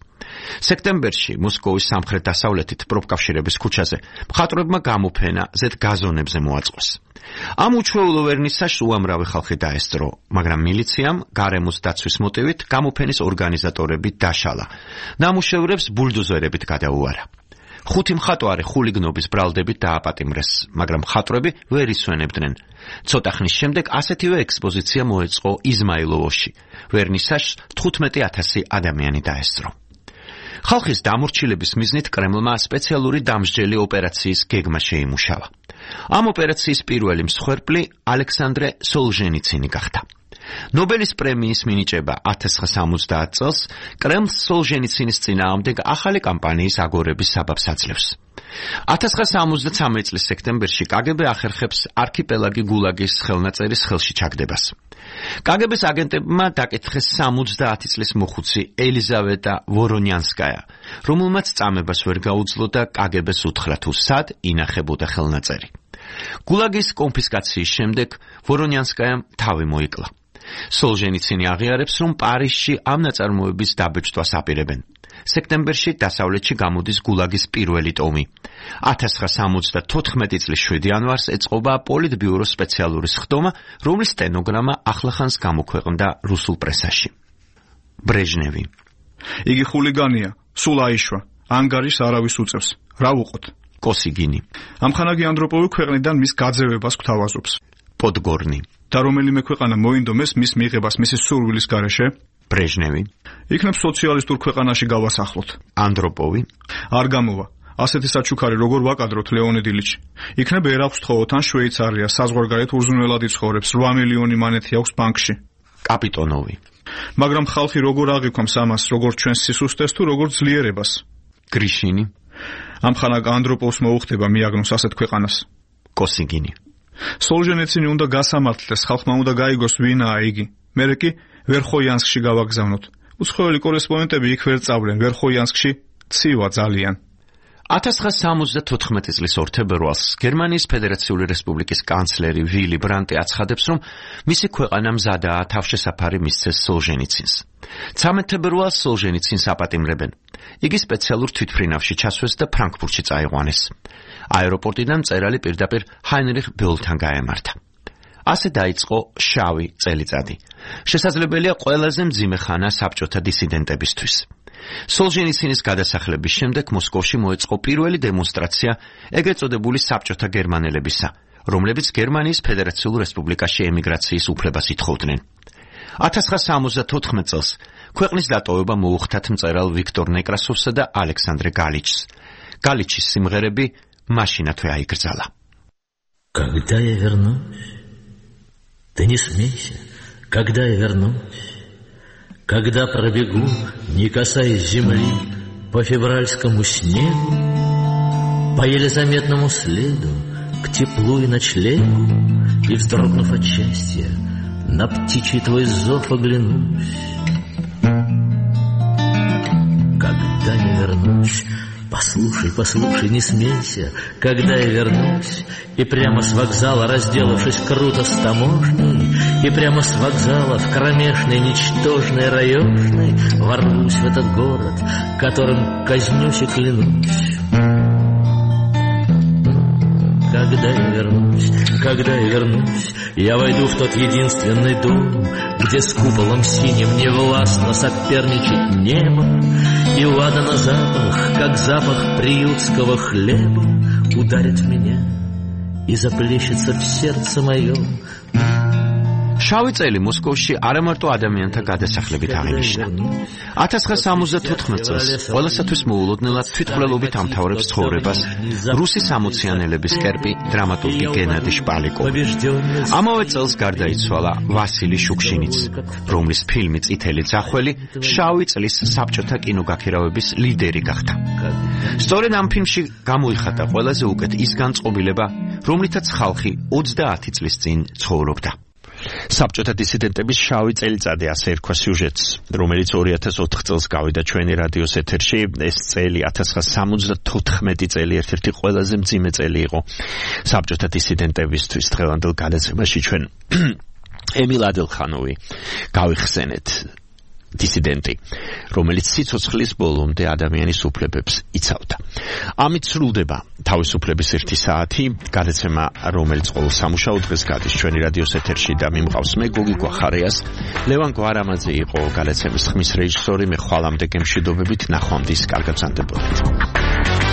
სექტემბერში მოსკოვის სამხრეთ-დასავლეთით პროფკავშირების ქუჩაზე მხატვრებმა გამოფენა ზედ გაზონებზე მოაწყვეს. ამ უჩვეულო ვერნისაჟს უამრავი ხალხი დაესწრო, მაგრამ მილიციამ გარემოს დაცვის მოტივით გამოფენის ორგანიზატორები დაშალა. ნამუშევრებს ბულდოზერებით გადაუარა. 5 მხატვარი ხულიგნობის ბრალდებით დააპატიმრეს, მაგრამ მხატვრები ვერ ისვენებდნენ. ცოტა ხნის შემდეგ ასეთივე ექსპოზიცია მოეწყო იზმაილოვოში. ვერნისაჟს 15,000 ადამიანი დაესწრო. ხალხის დამორჩილების მიზნით კრემლმა სპეციალური დამსჯელი ოპერაციის გეგმა შეიმუშავა. ამ ოპერაციის პირველი მსხვერპლი ალექსანდრე სოლჟენიცინი გახდა. ნობელის პრემიის მინიჭება 1970 წელს კრემლს სოლჟენიცინის წინააღმდეგ ახალი კამპანიის აგორების საბაბს აძლევს. 1973 წლის სექტემბერში კგბ ახერხებს არქიპელაგი გულაგის ხელნაწერის ხელში ჩაგდებას. კგბ-ს აგენტებმა დაკითხეს 70 წლის მოხუცი ელიზავეტა ვორონიანსკაია, რომელმაც წამებას ვერ გაუძლო და კგბ-ს უთხრა თუ სად ინახებოდა ხელნაწერი. გულაგის კონფისკაციის შემდეგ ვორონიანსკაიამ თავი მოიკლა. სოლჟენიცინი აღიარებს, რომ პარიზში ამ ნაწარმოების დაბეჭდვას აპირებენ. სექტემბერში დასავლეთში გამოდის გულაგის პირველი ტომი. 1974 წლის 7 იანვარს ეწყობა პოლიტბიუროს სპეციალური სხდომა, რომლის სტენოგრამა ახლახანს გამოქვეყნდა რუსულ პრესაში. ბრეჟნევი. იგი ხულიგანია, სულ აიშვა, ანგარიშს არავის უწევს. რა ვუყოთ? კოსიგინი. ამხანაგი ანდროპოვი ქვეყნიდან მის გაძევებას გვთავაზობს. პოდგორნი. და რომელიმე ქვეყანა მოინდომეს მის მიღებას მისი სურვილის გარეშე? ბრეჟნევი. იქნებ სოციალისტურ ქვეყანაში გავასახლოთ. ანდროპოვი. არ გამოვა. ასეთი საჩუქარი როგორ ვაკადროთ ლეონიდ ილიჩი. იქნებ ერაქვს თხოვოთ ან შვეიცარია, საზღვარგარეთ უზრუნველად იცხოვრებს, 8 მილიონი მანეთი აქვს ბანკში. კაპიტონოვი. მაგრამ ხალხი როგორ აღიქვამს ამას, როგორც ჩვენს სისუსტეს თუ როგორც ძლიერებას? გრიშინი. ამხანაგ ანდროპოვს მოუხდება მიაგნოს ასეთ ქვეყანას. კოსიგინი. სოლჟენიცინი უნდა გასამართლდეს, ხალხმა უნდა გაიგოს ვინაა იგი. მერე კი ვერხოიანსკში გავაგზავნოთ. უცხოელი კორესპონდენტები იქ ვერ წავლენ, ვერხოიანსკში ცივა ძალიან. 1974 წლის 2 თებერვალს გერმანიის ფედერაციული რესპუბლიკის კანცლერი ვილი ბრანტი აცხადებს, რომ მისი ქვეყანა მზადაა თავშესაფარი მისცეს სოლჟენიცინს. 13 თებერვალს სოლჟენიცინს აპატიმრებენ. იგი სპეციალურ თვითმფრინავში ჩასვეს და ფრანკფურტში წაიყვანეს. აეროპორტიდან მწერალი პირდაპირ ჰაინრიხ ბეულთან გაემართა. ასე დაიწყო შავი წელიწადი. შესაძლებელია ყველაზე მძიმე ხანა საბჭოთა დისიდენტებისთვის. სოლჟენიცინის გადასახლების შემდეგ მოსკოვში მოეწყო პირველი დემონსტრაცია ეგრეთ წოდებული საბჭოთა გერმანელებისა, რომლებიც გერმანიის ფედერაციულ რესპუბლიკაში ემიგრაციის უფლებას ითხოვდნენ. 1974 წელს ქვეყნის დატოვება მოუხდათ მწერალ ვიქტორ ნეკრასოვსა და ალექსანდრე გალიჩს. გალიჩის სიმღერები მაშინათვე აიგრძალა. Когда я вернусь, ты не смейся, когда я вернусь, когда пробегу, не касаясь земли, по февральскому снегу, по еле заметному следу, к теплу и ночлегу, и, вздрогнув от счастья, на птичий твой зов оглянусь. Когда я вернусь, послушай, послушай, не смейся, когда я вернусь, и прямо с вокзала, разделавшись круто с таможней, и прямо с вокзала в кромешной, ничтожной, раёшной ворвусь в этот город, которым казнюсь и клянусь. Когда я вернусь, я войду в тот единственный дом, где с куполом синим невластно соперничать небо, и ладана запах, как запах приютского хлеба, ударит в меня и заплещется в сердце моем. შავი წელი მოსკოვში არამარტო ადამიანთა გადასახლებით აღინიშნა. 1974 წელს ყველასათვის მოულოდნელად თვითმკვლელობით ამთავრებს ცხოვრებას რუსი სამოციანელების კერპი დრამატურგი გენადი შპალიკოვი. ამავე წელს გარდაიცვალა ვასილი შუქშინიც, რომლის ფილმი წითელი ძახველი შავი წლის საბჭოთა კინოგაქირავების ლიდერი გახდა. სწორედ ამ ფილმში გამოიხატა ყველაზე უკეთ ის განწყობილება, რომლითაც ხალხი 30 წლის წინ ცხოვრობდა. საბჭოთა დისიდენტების შავი წელიწადი ასე ერქვა სიუჟეტს, რომელიც 2004 წელს გავიდა ჩვენი რადიოს ეთერში. ეს წელი 1974 წელი ერთ-ერთი ყველაზე მძიმე წელი იყო საბჭოთა დისიდენტებისთვის. დღევანდელ გადაცემაში ჩვენ ემილ ადილხანოვი გავიხსენეთ, დისიდენტი, რომელიც სიცოცხლის ბოლომდე ადამიანის უფლებებს იცავდა. ამით სრულდება თავისუფლების 1 საათი, გადაცემა, რომელიც ყოველ სამუშაო დღეს გადის ჩვენი რადიოს ეთერში და მიმყავს მე გოგი გვახარიას. ლევან გვარამაძე იყო გადაცემის ხმის რეჟისორი. მე ხვალამდე გემშვიდობებით, ნახვამდის, კარგად გრძანდებოდეთ.